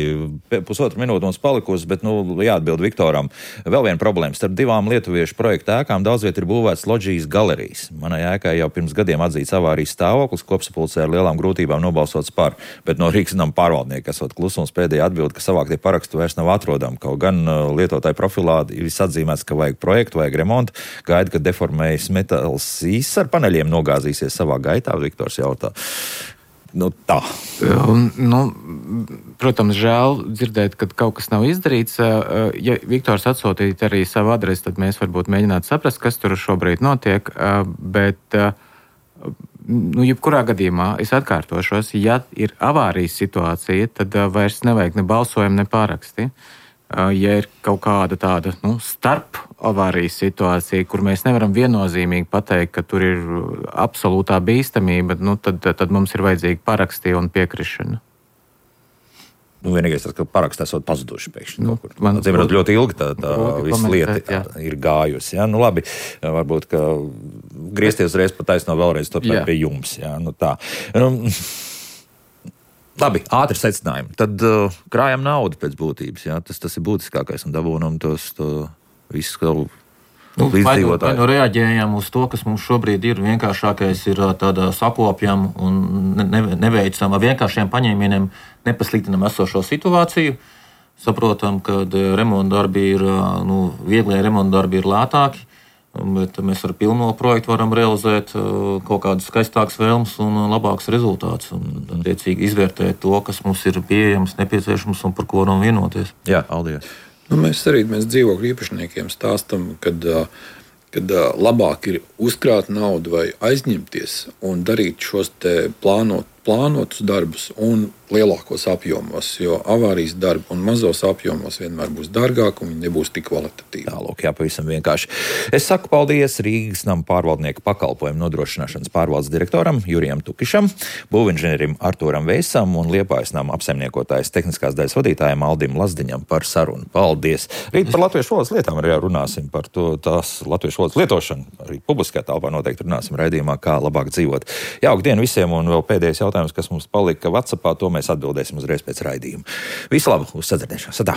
pusotru minūtu mums palikusi, bet nu jāatbild Viktoram. Vēl viena problēma. Starp divām lietuviešu projektu ēkām daudz viet ir būvēts loģijas galerijas. Manai ēkai jau pirms gadiem atzīts avārijas stāvoklis, kopsapulcē ar lielām grūtībām nobalsots par, bet no Rīgas nama pārvaldnieka esot klusums pēdējā atbild, ka savāktie parakstu vairs nav atrodami. Kaut gan uh, lietotāju profilā ir atzīmēts, ka vajag projektu, vajag remontu, gaida, ka deformējas metāls īsts ar paneļiem nogāzīsies savā gaitā, Viktors jautā. Nu, tā. Un, nu, protams, žēl dzirdēt, ka kaut kas nav izdarīts. Ja Viktors atsūtītu arī savu adresi, tad mēs varbūt mēģinātu saprast, kas tur šobrīd notiek, bet nu, jebkurā gadījumā es atkārtošos, ja ir avārijas situācija, tad vairs nevajag ne balsojumu, ne pāraksti. Ja ir kaut kāda tāda nu, starp avārijas situācija, kur mēs nevaram viennozīmīgi pateikt, ka tur ir absolūtā bīstamība, nu, tad, tad mums ir vajadzīga paraksti un piekrišana. Nu, vienīgais tas, ka paraksts esot pazuduši pēkšņi. Nu, man Zīmēt, ļoti ilgi tā, tā visa lieta jā. ir gājusi. Jā. Nu, labi, varbūt, ka griezties reiz pa taisno vēlreiz to pie jums. Jā. Nu, tā. Nu, labi, ātri secinājumi. Tad uh, krājam naudu pēc būtības. Jā. Tas, tas ir būtiskākais un dabūnam tos to visu kaut Nu, vai, nu, vai nu reaģējam uz to, kas mums šobrīd ir vienkāršākais, ir tāda sakopjam un ne, neveicam ar vienkāršiem paņēmieniem, nepasliktinam esošo situāciju. Saprotam, ka remonta darbi ir, nu, vieglie remonta darbi ir lētāki, bet mēs ar pilno projektu varam realizēt kaut kādas skaistākas vēlmes un labāks rezultāts. Un, attiecīgi, izvērtēt to, kas mums ir pieejams, nepieciešams un par ko varam vienoties. Jā, paldies. Nu, mēs arī mēs dzīvokļu īpašniekiem stāstam, kad, kad labāk ir uzkrāt naudu vai aizņemties un darīt šos te plānot, plānotus darbus un lielākos apjomos, jo avārijas darbi un mazos apjomos vienmēr būs dārgāk un viņi nebūs tik kvalitatīvi. Tā, lūk, jā, pavisam vienkārši. Es saku paldies Rīgas nama pārvaldnieka pakalpojumu nodrošināšanas pārvaldes direktoram Jurijam Tukišam, būvinženierim Artūram Veisam un Liepājas nama apsaimniekotājas tehniskās daļas vadītājiem Aldim Lazdiņam par sarunu. Paldies! Rīt par latviešu valodas lietām arī runāsim par to, tās latviešu valodas lietošanu. Arī publiskajā telpā noteikti runāsim raidījumā, kā labāk dzīvot. Jauka diena visiem un vēl pēdējais jautājums, kas mums palika WhatsAppā, to mēs atbildēsim uzreiz pēc raidījuma. Visu labu, uz sadzirdēšanos. Atā!